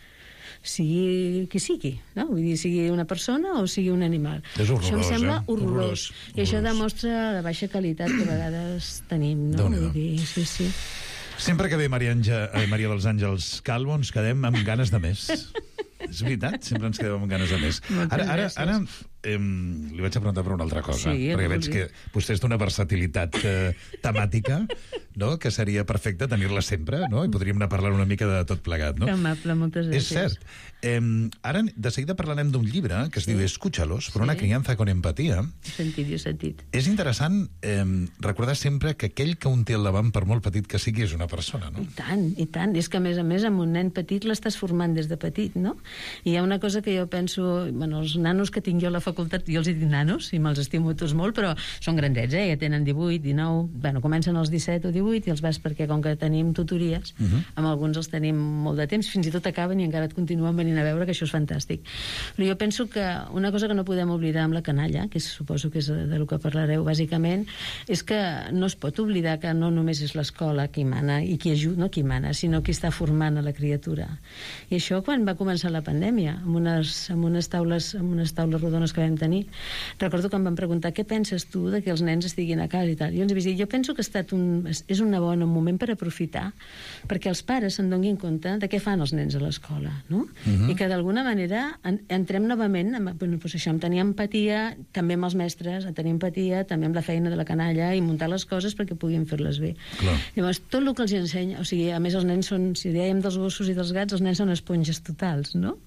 Sigui qui sigui, no? Vull dir, sigui una persona o sigui un animal. És horrorós, això em sembla horrorós. I això demostra la baixa qualitat que a vegades tenim, no? Vull dir, sí. Sempre que ve Maria dels Àngels Calvo ens quedem amb ganes de més. És veritat, sempre ens quedem amb ganes de més. Ara li vaig a preguntar per una altra cosa, perquè veig que vostè és d'una versatilitat temàtica, no? Que seria perfecte tenir-la sempre, no? I podríem anar parlant una mica de tot plegat, no? Que amable, moltes gràcies. És cert. Ara, de seguida parlarem d'un llibre que es diu Escúchalos, per una crianza con empatía. Jo he sentit. És interessant recordar sempre que aquell que un té al davant, per molt petit que sigui, és una persona, no? I tant. És que, a més, amb un nen petit l'estàs formant des de petit, no? I hi ha una cosa que jo penso... els nanos que tinc jo a la facultat, jo els dic nanos, i me'ls estimo tots molt, però són grandets, ja tenen 18, 19... Comencen als 17 o 18 i els vas perquè, com que tenim tutories, amb alguns els tenim molt de temps, fins i tot acaben i encara et continuen venint a veure, que això és fantàstic. Però jo penso que una cosa que no podem oblidar amb la canalla, que suposo que és del que parlareu bàsicament, és que no es pot oblidar que no només és l'escola qui mana i qui ajuda, no qui mana, sinó qui està formant a la criatura. I això quan va començar la pandèmia, amb unes taules rodones que vam tenir, recordo que em van preguntar què penses tu de que els nens estiguin a casa i tal. Jo els vaig dir, jo penso que és un bon moment per aprofitar perquè els pares se'n donin compte de què fan els nens a l'escola, no? I que d'alguna manera entrem novament això, amb tenir empatia també amb els mestres, a tenir empatia també amb la feina de la canalla i muntar les coses perquè puguin fer-les bé. Llavors, tot el que els ensenya, o sigui, a més els nens són, si dèiem dels gossos i dels gats, els nens són esponges totals, no?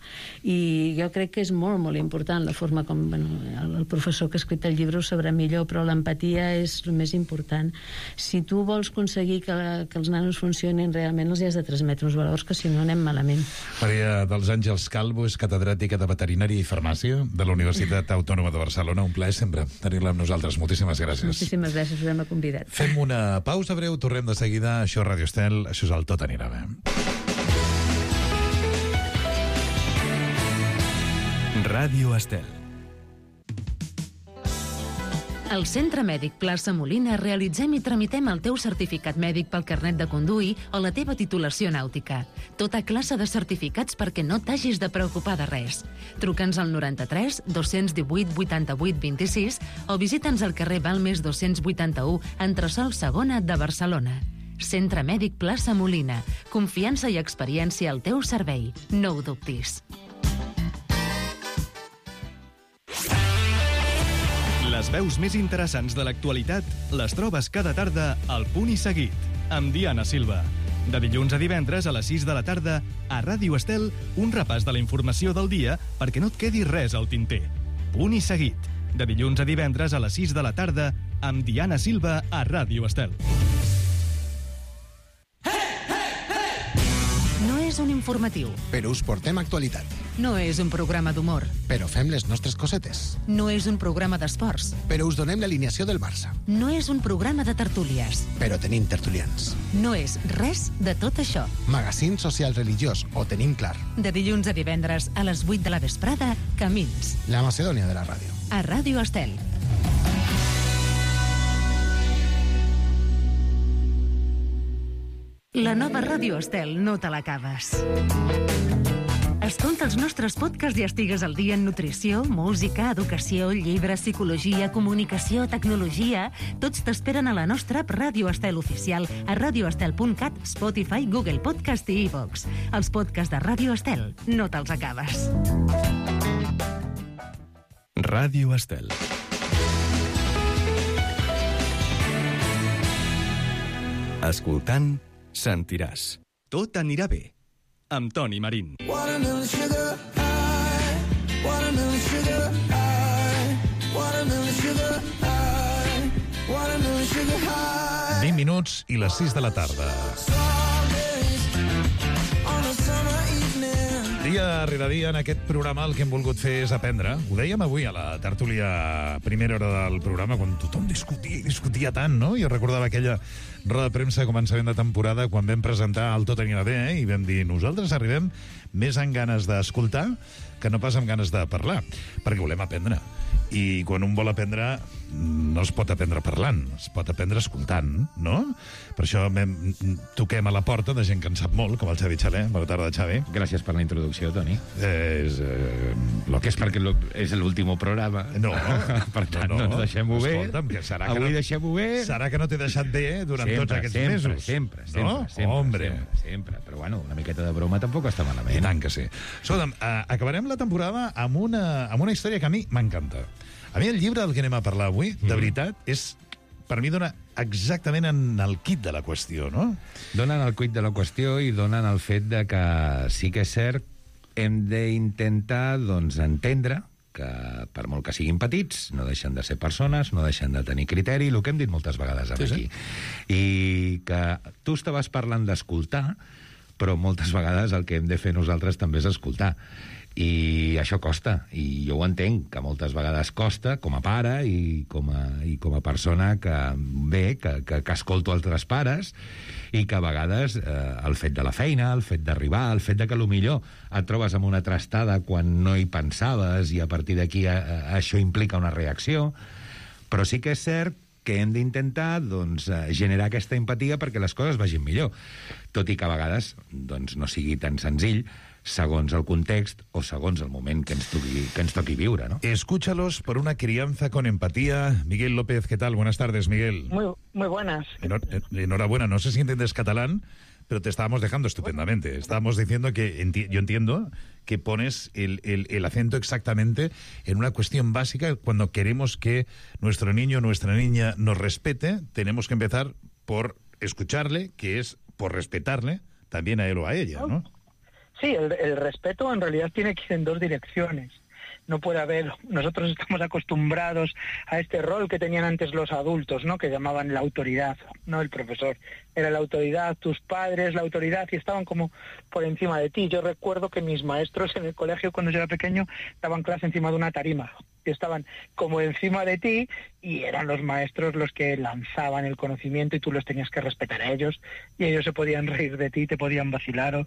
I jo crec que és molt, molt important la forma com, el professor que ha escrit el llibre ho sabrà millor, però l'empatia és el més important. Si tu vols aconseguir que els nanos funcionin realment, els has de transmetre uns valors, que si no anem malament. Maria dels Àngels Calvo és catedràtica de Veterinària i Farmàcia de la Universitat Autònoma de Barcelona. Un plaer sempre tenir-la amb nosaltres. Moltíssimes gràcies. Moltíssimes gràcies, us hem convidat. Fem una pausa breu, tornem de seguida. Això és Ràdio Estel, això és el Tot anirà bé. Ràdio Estel. Al Centre Mèdic Plaça Molina realitzem i tramitem el teu certificat mèdic pel carnet de conduir o la teva titulació nàutica. Tota classe de certificats perquè no t'hagis de preocupar de res. Truca'ns al 93 218 88 26 o visita'ns al carrer Balmes 281, entresòl Segona de Barcelona. Centre Mèdic Plaça Molina. Confiança i experiència al teu servei. No ho dubtis. Les veus més interessants de l'actualitat les trobes cada tarda al Punt i Seguit, amb Diana Silva. De dilluns a divendres a les 6 de la tarda, a Ràdio Estel, un repàs de la informació del dia perquè no et quedi res al tinter. Punt i Seguit, de dilluns a divendres a les 6 de la tarda, amb Diana Silva a Ràdio Estel. No és un informatiu. Però us portem actualitat. No és un programa d'humor. Però fem les nostres cosetes. No és un programa d'esports. Però us donem l'alineació del Barça. No és un programa de tertúlies. Però tenim tertulians. No és res de tot això. Magazín social religiós, ho tenim clar. De dilluns a divendres a les 8 de la vesprada, Camins. La Macedònia de la ràdio. A Ràdio Estel. La nova Ràdio Estel no te l'acabes. Escolta els nostres podcasts i estigues al dia en nutrició, música, educació, llibres, psicologia, comunicació, tecnologia. Tots t'esperen a la nostra app Ràdio Estel oficial a radioestel.cat, Spotify, Google Podcast i iVoox. Els podcasts de Ràdio Estel no te'ls acabes. Ràdio Estel. Escoltant, sentiràs. Tot anirà bé. Amb Toni Marín. 20 minuts i les 6 de la tarda. Dia rere dia en aquest programa el que hem volgut fer és aprendre. Ho dèiem avui a la tertúlia primera hora del programa, quan tothom discutia tant, no? Jo recordava aquella roda de premsa a començament de temporada quan vam presentar el Tot anirà bé, i vam dir, nosaltres arribem més amb ganes d'escoltar que no pas amb ganes de parlar, perquè volem aprendre. I quan un vol aprendre, no es pot aprendre parlant, es pot aprendre escoltant, no? Per això toquem a la porta de gent que en sap molt, com el Xavi Xalé. Bona tarda, Xavi. Gràcies per la introducció, Toni. Lo que és perquè és l'últim programa. No. Per tant, doncs deixem-ho bé. Escolta'm, que serà que avui deixem-ho bé. Serà que no t'he deixat bé durant tots aquests mesos. Sempre. Però bueno, una miqueta de broma tampoc està malament. I tant que sí. Escolta'm, acabarem la temporada amb una història que a mi m'encanta. A mi el llibre del que anem a parlar avui, de veritat, per mi dona exactament en el quid de la qüestió, no? Donen el quid de la qüestió i donen el fet de que sí que és cert, hem d'intentar, doncs, entendre que, per molt que siguin petits, no deixen de ser persones, no deixen de tenir criteri, el que hem dit moltes vegades aquí. I que tu estaves parlant d'escoltar, però moltes vegades el que hem de fer nosaltres també és escoltar. I això costa, i jo ho entenc, que moltes vegades costa, com a pare i com a persona que escolto altres pares, i que a vegades el fet de la feina, el fet d'arribar, el fet de que potser et trobes amb una trastada quan no hi pensaves, i a partir d'aquí això implica una reacció, però sí que és cert que hem d'intentar, doncs, generar aquesta empatia perquè les coses vagin millor, tot i que a vegades doncs, no sigui tan senzill, segons el context o segons el moment que ens toqui viure, ¿no? Escúchalos por una crianza con empatía. Miguel López, ¿qué tal? Buenas tardes, Miguel. Muy buenas. Enhorabuena, no sé si entiendes catalán, pero te estábamos dejando estupendamente. Estábamos diciendo que yo entiendo que pones el acento exactamente en una cuestión básica. Cuando queremos que nuestro niño o nuestra niña nos respete, tenemos que empezar por escucharle, que es por respetarle también a él o a ella, ¿no? Sí, el respeto en realidad tiene que ir en dos direcciones. No puede haber, nosotros estamos acostumbrados a este rol que tenían antes los adultos, ¿no? Que llamaban la autoridad, no el profesor. Era la autoridad, tus padres, la autoridad, y estaban como por encima de ti. Yo recuerdo que mis maestros en el colegio, cuando yo era pequeño, daban clase encima de una tarima. Y estaban como encima de ti, y eran los maestros los que lanzaban el conocimiento y tú los tenías que respetar a ellos, y ellos se podían reír de ti, te podían vacilar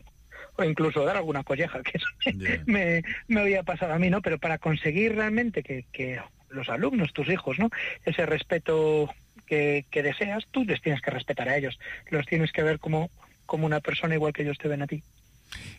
o incluso dar alguna colleja, que eso me había pasado a mí, ¿no? Pero para conseguir realmente que los alumnos, tus hijos, ¿no? Ese respeto que deseas, tú les tienes que respetar a ellos. Los tienes que ver como una persona igual que ellos te ven a ti.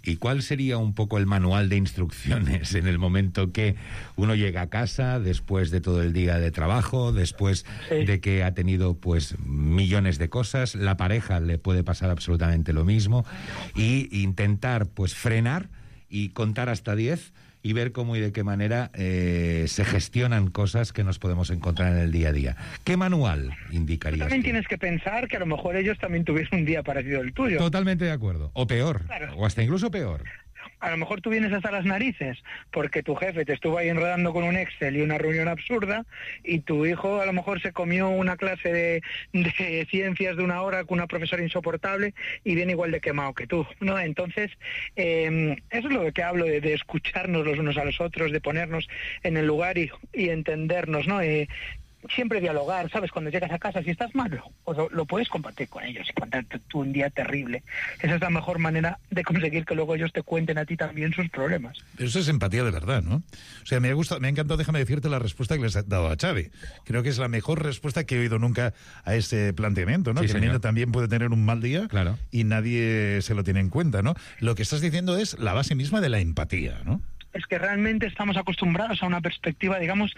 ¿Y cuál sería un poco el manual de instrucciones en el momento que uno llega a casa después de todo el día de trabajo, después de que ha tenido pues millones de cosas, la pareja le puede pasar absolutamente lo mismo, y intentar pues frenar y contar hasta 10 y ver cómo y de qué manera se gestionan cosas que nos podemos encontrar en el día a día. ¿Qué manual indicarías? También tienes que pensar que a lo mejor ellos también tuvieron un día parecido al tuyo. Totalmente de acuerdo. O peor. Claro. O hasta incluso peor. A lo mejor tú vienes hasta las narices porque tu jefe te estuvo ahí enredando con un Excel y una reunión absurda, y tu hijo a lo mejor se comió una clase de ciencias de 1 hora con una profesora insoportable y viene igual de quemado que tú, ¿no? Entonces, eso es lo que hablo, de escucharnos los unos a los otros, de ponernos en el lugar y entendernos, ¿no? Siempre dialogar, ¿sabes? Cuando llegas a casa, si estás mal, pues lo puedes compartir con ellos y contarte tú un día terrible. Esa es la mejor manera de conseguir que luego ellos te cuenten a ti también sus problemas. Pero eso es empatía de verdad, ¿no? O sea, me ha encantado, déjame decirte la respuesta que les ha dado a Xavi. Creo que es la mejor respuesta que he oído nunca a ese planteamiento, ¿no? Sí, que el niño también puede tener un mal día, claro, y nadie se lo tiene en cuenta, ¿no? Lo que estás diciendo es la base misma de la empatía, ¿no? Es que realmente estamos acostumbrados a una perspectiva, digamos,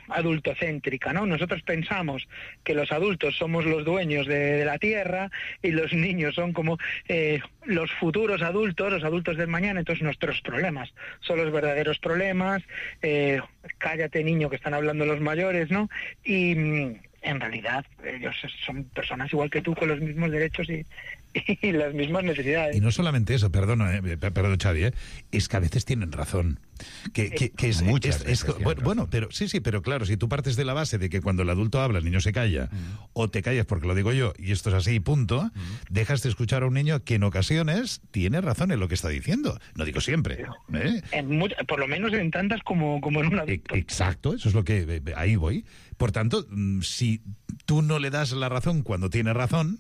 adultocéntrica, ¿no? Nosotros pensamos que los adultos somos los dueños de la tierra y los niños son como los futuros adultos, los adultos del mañana. Entonces nuestros problemas son los verdaderos problemas. Cállate, niño, que están hablando los mayores, ¿no? Y en realidad ellos son personas igual que tú, con los mismos derechos y las mismas necesidades. Y no solamente eso, perdón, Xavi, es que a veces tienen razón. Que es muchas veces bueno, pero sí, pero claro, si tú partes de la base de que cuando el adulto habla el niño se calla, o te callas porque lo digo yo y esto es así, punto, dejas de escuchar a un niño que en ocasiones tiene razón en lo que está diciendo. No digo siempre. Por lo menos en tantas como en un adulto. Exacto, eso es lo que ahí voy. Por tanto, si tú no le das la razón cuando tiene razón,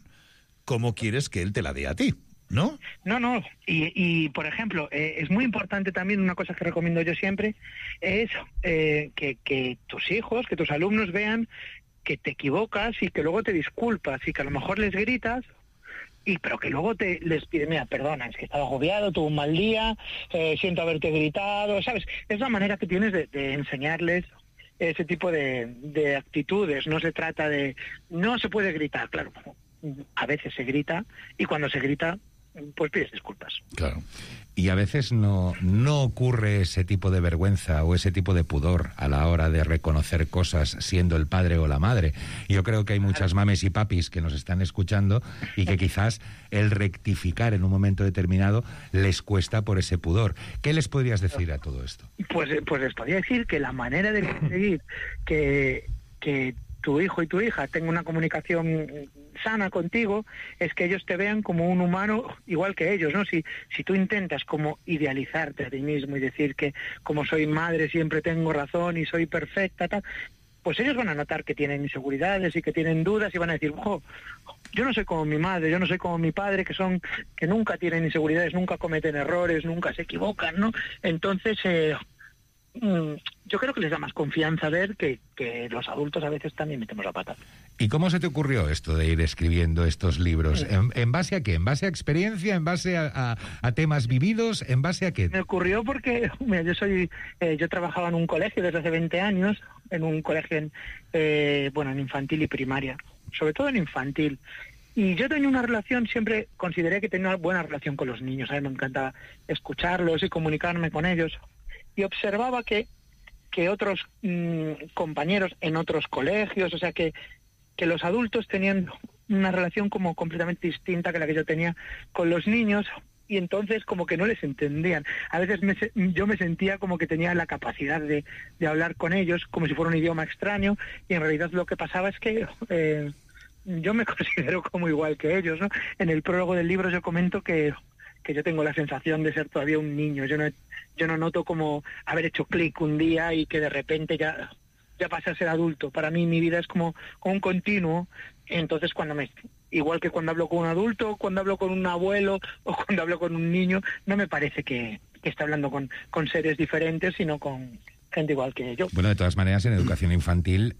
¿cómo quieres que él te la dé a ti? ¿No? No. Y por ejemplo, es muy importante también, una cosa que recomiendo yo siempre, es que tus hijos, que tus alumnos vean que te equivocas y que luego te disculpas y que a lo mejor les gritas, pero que luego les pides, mira, perdona, es que estaba agobiado, tuve un mal día, siento haberte gritado, ¿sabes? Es la manera que tienes de enseñarles ese tipo de actitudes. No se trata de... No se puede gritar, claro. A veces se grita y cuando se grita, pues pides disculpas. Claro. Y a veces no ocurre ese tipo de vergüenza o ese tipo de pudor a la hora de reconocer cosas siendo el padre o la madre. Yo creo que hay muchas mames y papis que nos están escuchando y que quizás el rectificar en un momento determinado les cuesta por ese pudor. ¿Qué les podrías decir a todo esto? Pues les podría decir que la manera de conseguir que tu hijo y tu hija tengan una comunicación sana contigo es que ellos te vean como un humano igual que ellos, ¿no? Si tú intentas como idealizarte a ti mismo y decir que como soy madre siempre tengo razón y soy perfecta, tal, pues ellos van a notar que tienen inseguridades y que tienen dudas y van a decir, yo no soy como mi madre, yo no soy como mi padre, que nunca tienen inseguridades, nunca cometen errores, nunca se equivocan, ¿no? Entonces, yo creo que les da más confianza ver que los adultos a veces también metemos la pata. ¿Y cómo se te ocurrió esto de ir escribiendo estos libros? ¿En base a qué? ¿En base a experiencia? ¿En base a temas vividos? ¿En base a qué? Me ocurrió porque yo trabajaba en un colegio desde hace 20 años, en un colegio en infantil y primaria, sobre todo en infantil. Y yo tenía una relación, siempre consideré que tenía una buena relación con los niños. A mí me encantaba escucharlos y comunicarme con ellos. Y observaba que otros compañeros en otros colegios, o sea, que los adultos tenían una relación como completamente distinta que la que yo tenía con los niños, y entonces como que no les entendían. A veces yo me sentía como que tenía la capacidad de hablar con ellos como si fuera un idioma extraño, y en realidad lo que pasaba es que yo me considero como igual que ellos, ¿no? En el prólogo del libro yo comento que yo tengo la sensación de ser todavía un niño. Yo no noto como haber hecho clic un día y que de repente ya pasé a ser adulto. Para mí mi vida es como un continuo. Entonces igual que cuando hablo con un adulto, cuando hablo con un abuelo o cuando hablo con un niño, no me parece que esté hablando con seres diferentes, sino con gente igual que yo. Bueno, de todas maneras, en educación infantil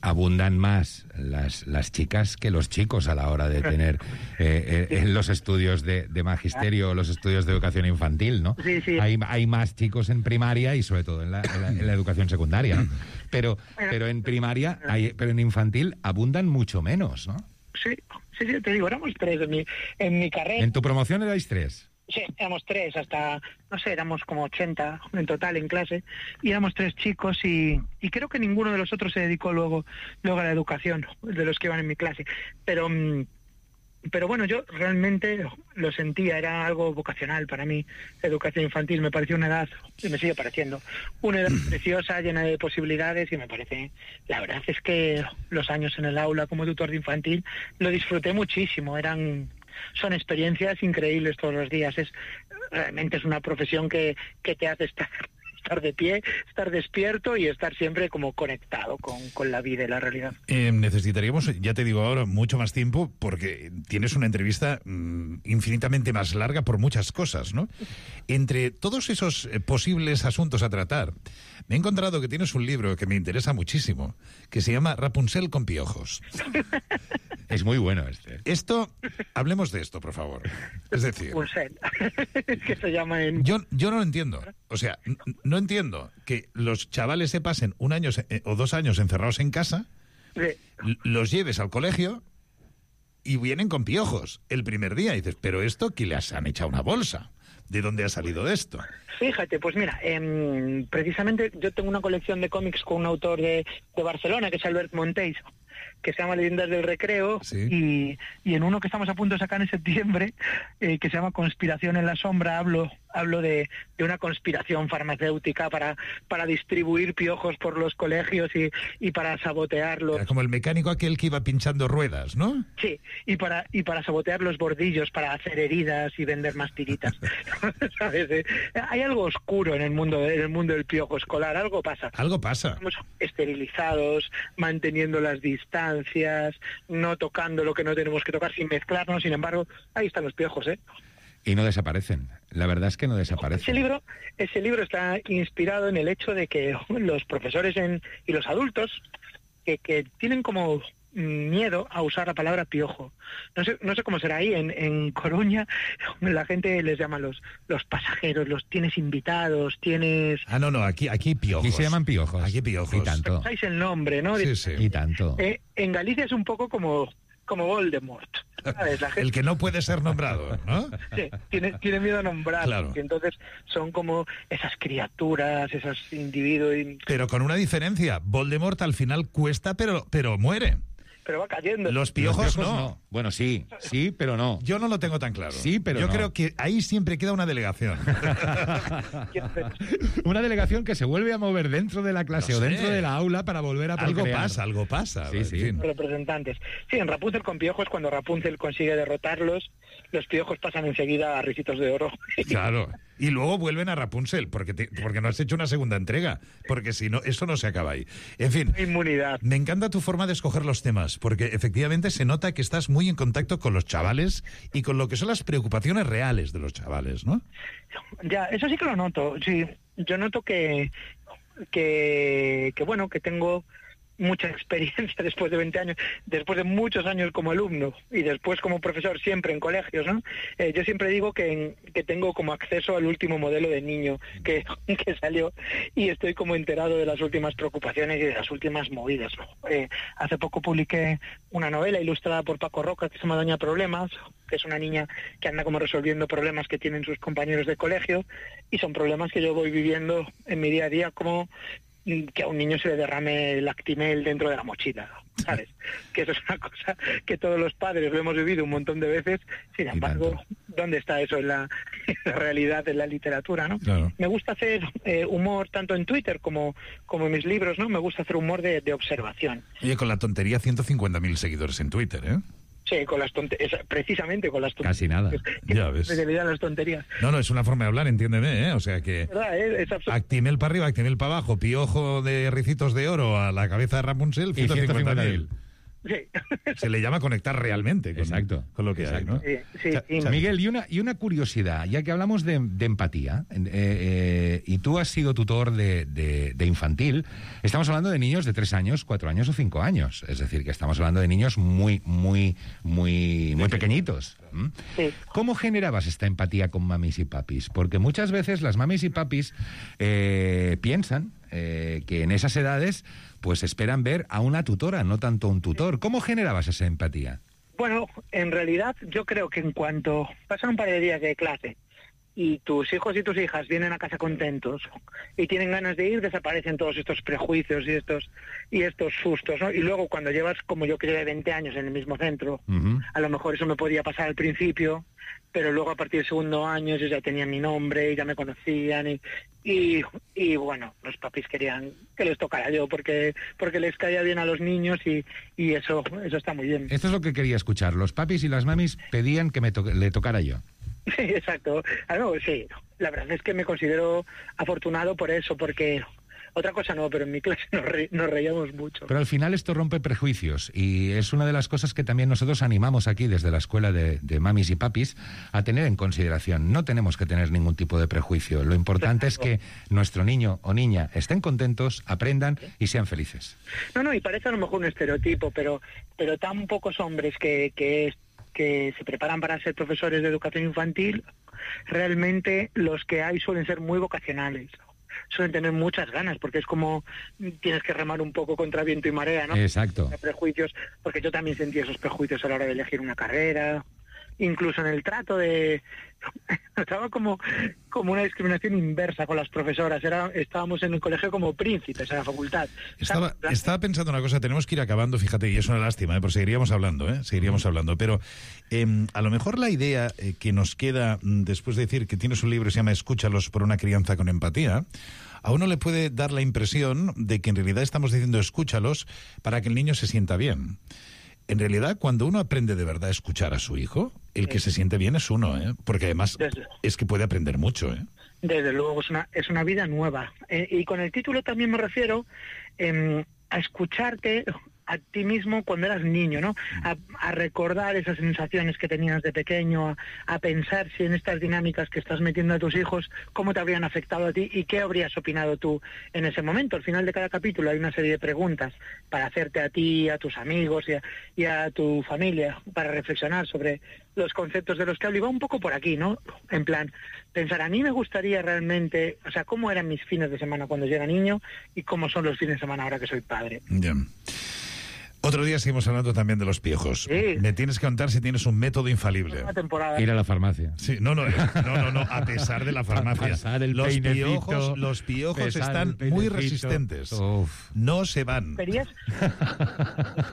abundan más las chicas que los chicos a la hora de tener en los estudios de magisterio o los estudios de educación infantil, ¿no? Sí. Hay más chicos en primaria y sobre todo en la educación secundaria. Pero en primaria, pero en infantil abundan mucho menos, ¿no? Sí, te digo, éramos 3 en mi carrera. ¿En tu promoción erais 3? Sí, éramos 3 hasta, no sé, éramos como 80 en total en clase, y éramos 3 chicos y creo que ninguno de los otros se dedicó luego a la educación, de los que iban en mi clase. Pero bueno, yo realmente lo sentía, era algo vocacional para mí, educación infantil. Me pareció una edad, y me sigue pareciendo, una edad preciosa, llena de posibilidades, y me parece, la verdad es que los años en el aula como tutor de infantil lo disfruté muchísimo, son experiencias increíbles todos los días. Realmente es una profesión que te hace estar de pie, estar despierto y estar siempre como conectado con la vida y la realidad. Necesitaríamos, ya te digo ahora, mucho más tiempo porque tienes una entrevista infinitamente más larga por muchas cosas, ¿no? Entre todos esos posibles asuntos a tratar, me he encontrado que tienes un libro que me interesa muchísimo, que se llama Rapunzel con piojos. Es muy bueno este. Hablemos de esto, por favor. Es decir... Rapunzel, que se llama en... Yo no lo entiendo. O sea, no entiendo que los chavales se pasen 1 año o 2 años encerrados en casa, los lleves al colegio y vienen con piojos el primer día. Y dices, pero esto, ¿qué les han echado una bolsa? ¿De dónde ha salido esto? Fíjate, pues mira, precisamente yo tengo una colección de cómics con un autor de Barcelona, que es Albert Monteis, que se llama Leyendas del Recreo, sí. y en uno que estamos a punto de sacar en septiembre, que se llama Conspiración en la Sombra, hablo de una conspiración farmacéutica para distribuir piojos por los colegios y para sabotearlos. Era como el mecánico aquel que iba pinchando ruedas, ¿no? Sí, y para sabotear los bordillos, para hacer heridas y vender más tiritas. ¿Sabes? Hay algo oscuro en el mundo del piojo escolar, algo pasa. Algo pasa. Estamos esterilizados, manteniendo las distancias, no tocando lo que no tenemos que tocar, sin mezclarnos. Sin embargo, ahí están los piojos, ¿eh? Y no desaparecen. La verdad es que no desaparecen. Ese libro está inspirado en el hecho de que los profesores y los adultos que tienen como miedo a usar la palabra piojo. No sé cómo será ahí en Coruña. La gente les llama los pasajeros, los tienes invitados, tienes... Ah, no, aquí piojos. Aquí se llaman piojos. Aquí piojos. Y tanto. Pensáis el nombre, ¿no? Sí. Y tanto. En Galicia es un poco como Voldemort, ¿sabes? La gente... El que no puede ser nombrado, ¿no? Sí, tiene miedo a nombrar, claro. Y entonces son como esas criaturas, esos individuos... Pero con una diferencia, Voldemort al final cuesta, pero muere. Pero va cayendo. Los piojos no. Bueno, sí, pero no. Yo no lo tengo tan claro. Sí, pero yo creo que ahí siempre queda una delegación. Una delegación que se vuelve a mover dentro de la clase o dentro de la aula para volver a procrear. Algo pasa. Sí. Representantes. Sí, en Rapunzel con piojos, cuando Rapunzel consigue derrotarlos, los piojos pasan enseguida a Ricitos de Oro. Claro. Y luego vuelven a Rapunzel, porque no has hecho una segunda entrega, porque si no, eso no se acaba ahí. En fin, inmunidad. Me encanta tu forma de escoger los temas, porque efectivamente se nota que estás muy en contacto con los chavales y con lo que son las preocupaciones reales de los chavales, ¿no? Ya, eso sí que lo noto. Sí, yo noto que bueno, que tengo mucha experiencia después de 20 años, después de muchos años como alumno y después como profesor siempre en colegios, ¿no? Yo siempre digo que tengo como acceso al último modelo de niño que salió y estoy como enterado de las últimas preocupaciones y de las últimas movidas, ¿no? Hace poco publiqué una novela ilustrada por Paco Roca que se llama Doña Problemas, que es una niña que anda como resolviendo problemas que tienen sus compañeros de colegio, y son problemas que yo voy viviendo en mi día a día, como que a un niño se le derrame el Actimel dentro de la mochila, ¿sabes? Que eso es una cosa que todos los padres lo hemos vivido un montón de veces. Sin embargo, ¿dónde está eso en la realidad, en la literatura, no? Claro. Me gusta hacer humor tanto en Twitter como en mis libros, ¿no? Me gusta hacer humor de observación. Oye, con la tontería 150.000 seguidores en Twitter, ¿eh? Sí, con las tonterías, precisamente con las tonterías. Casi nada. Ya ves. Las tonterías. No, es una forma de hablar, entiéndeme, ¿eh? O sea que... ¿Verdad, es Actimel para arriba, Actimel para abajo, piojo de Ricitos de Oro a la cabeza de Rapunzel, 150.000. Sí. Se le llama conectar realmente con lo que hay, ¿no? Sí. Miguel, y una curiosidad, ya que hablamos de empatía, y tú has sido tutor de infantil, estamos hablando de niños de 3 años, 4 años o 5 años, es decir, que estamos hablando de niños muy pequeñitos. Sí. ¿Cómo generabas esta empatía con mamis y papis? Porque muchas veces las mamis y papis piensan que en esas edades pues esperan ver a una tutora, no tanto a un tutor. ¿Cómo generabas esa empatía? Bueno, en realidad yo creo que en cuanto pasan un par de días de clase y tus hijos y tus hijas vienen a casa contentos y tienen ganas de ir, desaparecen todos estos prejuicios y estos sustos, ¿no? Y luego cuando llevas, como yo que llevé 20 años en el mismo centro, a lo mejor eso me podía pasar al principio, pero luego a partir del segundo año yo ya tenía mi nombre, ya me conocían y bueno, los papis querían que les tocara yo porque les caía bien a los niños y eso está muy bien. Esto es lo que quería escuchar. Los papis y las mamis pedían que le tocara yo. Sí, exacto. Sí, la verdad es que me considero afortunado por eso, porque otra cosa no, pero en mi clase nos reíamos mucho. Pero al final esto rompe prejuicios y es una de las cosas que también nosotros animamos aquí desde la escuela de mamis y papis a tener en consideración. No tenemos que tener ningún tipo de prejuicio. Lo importante es que nuestro niño o niña estén contentos, aprendan y sean felices. No, y parece a lo mejor un estereotipo, pero tan pocos hombres que se preparan para ser profesores de educación infantil, realmente los que hay suelen ser muy vocacionales. Suelen tener muchas ganas, porque es como tienes que remar un poco contra viento y marea, ¿no? Exacto. Prejuicios, porque yo también sentí esos prejuicios a la hora de elegir una carrera, incluso en el trato de... Estaba como una discriminación inversa con las profesoras. Estábamos en el colegio como príncipes, en la facultad. Estaba pensando una cosa, tenemos que ir acabando, fíjate, y es una lástima, pero seguiríamos hablando, pero a lo mejor la idea que nos queda después de decir que tienes un libro que se llama Escúchalos por una crianza con empatía, a uno le puede dar la impresión de que en realidad estamos diciendo escúchalos para que el niño se sienta bien. En realidad, cuando uno aprende de verdad a escuchar a su hijo, el que se siente bien es uno, porque además es que puede aprender mucho. Desde luego, es una vida nueva. Y con el título también me refiero a escucharte a ti mismo cuando eras niño, ¿no? A recordar esas sensaciones que tenías de pequeño, a pensar si en estas dinámicas que estás metiendo a tus hijos, cómo te habrían afectado a ti y qué habrías opinado tú en ese momento. Al final de cada capítulo hay una serie de preguntas para hacerte a ti, a tus amigos y a tu familia, para reflexionar sobre los conceptos de los que hablo. Y va un poco por aquí, ¿no? En plan, pensar, a mí me gustaría realmente, o sea, cómo eran mis fines de semana cuando yo era niño y cómo son los fines de semana ahora que soy padre. Ya. Otro día seguimos hablando también de los piojos. Sí. Me tienes que contar si tienes un método infalible. Una temporada. Ir a la farmacia. Sí, no, a pesar de la farmacia. Los piojos están muy resistentes. Uf. No se van. Yo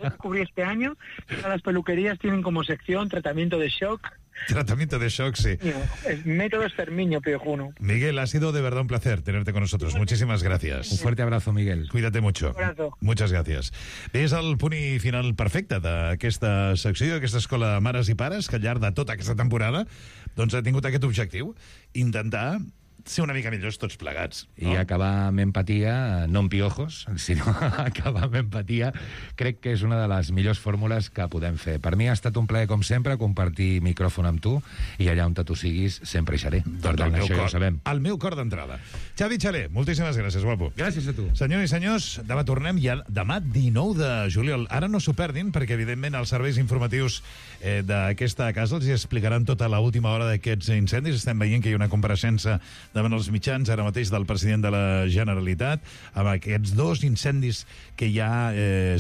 descubrí este año que las peluquerías tienen como sección tratamiento de shock. Tratamiento de shock, sí. El método exterminio piojuno. Miguel, ha sido de verdad un placer tenerte con nosotros. Muchísimas gracias. Un fuerte abrazo, Miguel. Cuídate mucho. Un abrazo. Muchas gràcies. Bé, és el punt i final perfecte d'aquesta secció, d'aquesta escola de mares i pares, que al llarg de tota aquesta temporada doncs ha tingut aquest objectiu, intentar ser una mica millors tots plegats. No? I acabar amb empatia, no amb piojos, sinó acabar amb empatia, crec que és una de les millors fórmules que podem fer. Per mi ha estat un plaer, com sempre, compartir micròfon amb tu, i allà on tu siguis sempre hi seré. Per tant, això ja ho sabem. El meu cor d'entrada. Xavi Xaler, moltíssimes gràcies, guapo. Gràcies a tu. Senyors i senyors, demà tornem, ja demà 19 de juliol. Ara no s'ho perdin, perquè evidentment els serveis informatius d'aquesta casa els explicaran tota l'última hora d'aquests incendis. Estem veient que hi ha una compareixença davant els mitjans ara mateix del president de la Generalitat amb aquests dos incendis que hi ha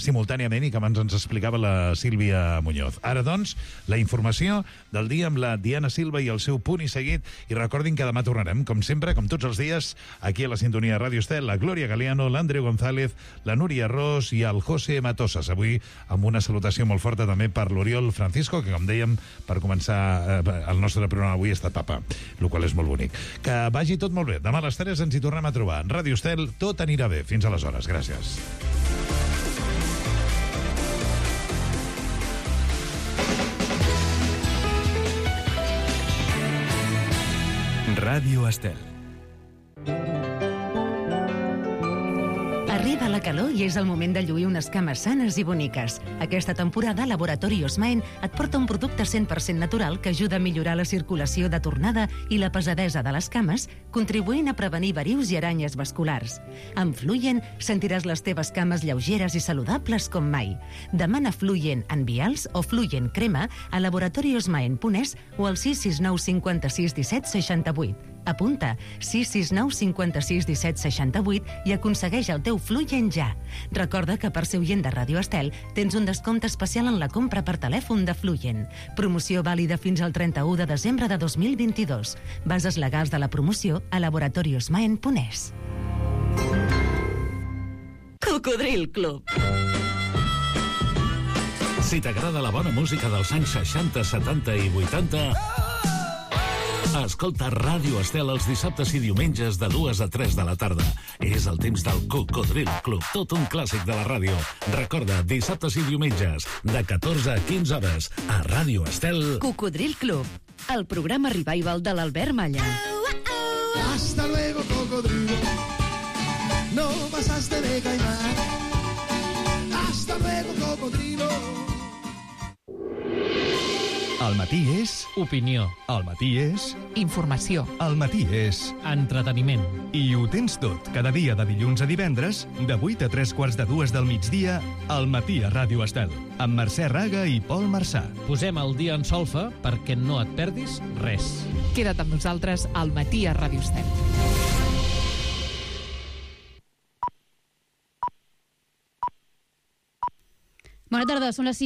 simultàniament i que abans ens explicava la Sílvia Muñoz. Ara, doncs, la informació del dia amb la Diana Silva i el seu punt i seguit. I recordin que demà tornarem, com sempre, com tots els dies, aquí a la sintonia de Ràdio Estel, la Glòria Galeano, l'Andreu González, la Núria Ros i el José Matosas. Avui amb una salutació molt forta també per l'Oriol Francisco, que, com dèiem, per començar el nostre programa avui ha estat papa, el qual és molt bonic. Que vagi tot molt bé. Demà a les 3 ens hi tornem a trobar. En Ràdio Estel tot anirà bé. Fins aleshores. Gràcies. Ràdio Estel. Arriba la calor i és el moment de lluir unes cames sanes i boniques. Aquesta temporada, Laboratori Osmaen et porta un producte 100% natural que ajuda a millorar la circulació de tornada i la pesadesa de les cames, contribuint a prevenir verius i aranyes vasculars. Amb Fluyen sentiràs les teves cames lleugeres i saludables com mai. Demana Fluyen en vials o Fluyen crema a laboratoriosmaen.es o al 669 56 17 68. Apunta 669 56 17 68 i aconsegueix el teu Fluyen ja. Recorda que per ser oient de Ràdio Estel tens un descompte especial en la compra per telèfon de Fluyen. Promoció vàlida fins al 31 de desembre de 2022. Bases legals de la promoció a laboratoriosmaen.es. Cocodril Club. Si t'agrada la bona música dels anys 60, 70 i 80... Escolta Ràdio Estel els dissabtes i diumenges de 2 a 3 de la tarda. És el temps del Cocodril Club, tot un clàssic de la ràdio. Recorda, dissabtes i diumenges, de 14 a 15 hores, a Ràdio Estel... Cocodril Club, el programa revival de l'Albert Malla. Hasta luego, cocodrilo. No pasaste de caimán. Hasta luego, cocodrilo. El matí és... Opinió. El matí és... Informació. El matí és... Entreteniment. I ho tens tot, cada dia de dilluns a divendres, de 8 a 3:45 del migdia, al matí a Ràdio Estel, amb Mercè Raga i Pol Marçà. Posem el dia en solfa perquè no et perdis res. Queda't amb nosaltres al matí a Ràdio Estel. Bona tarda, són les 6.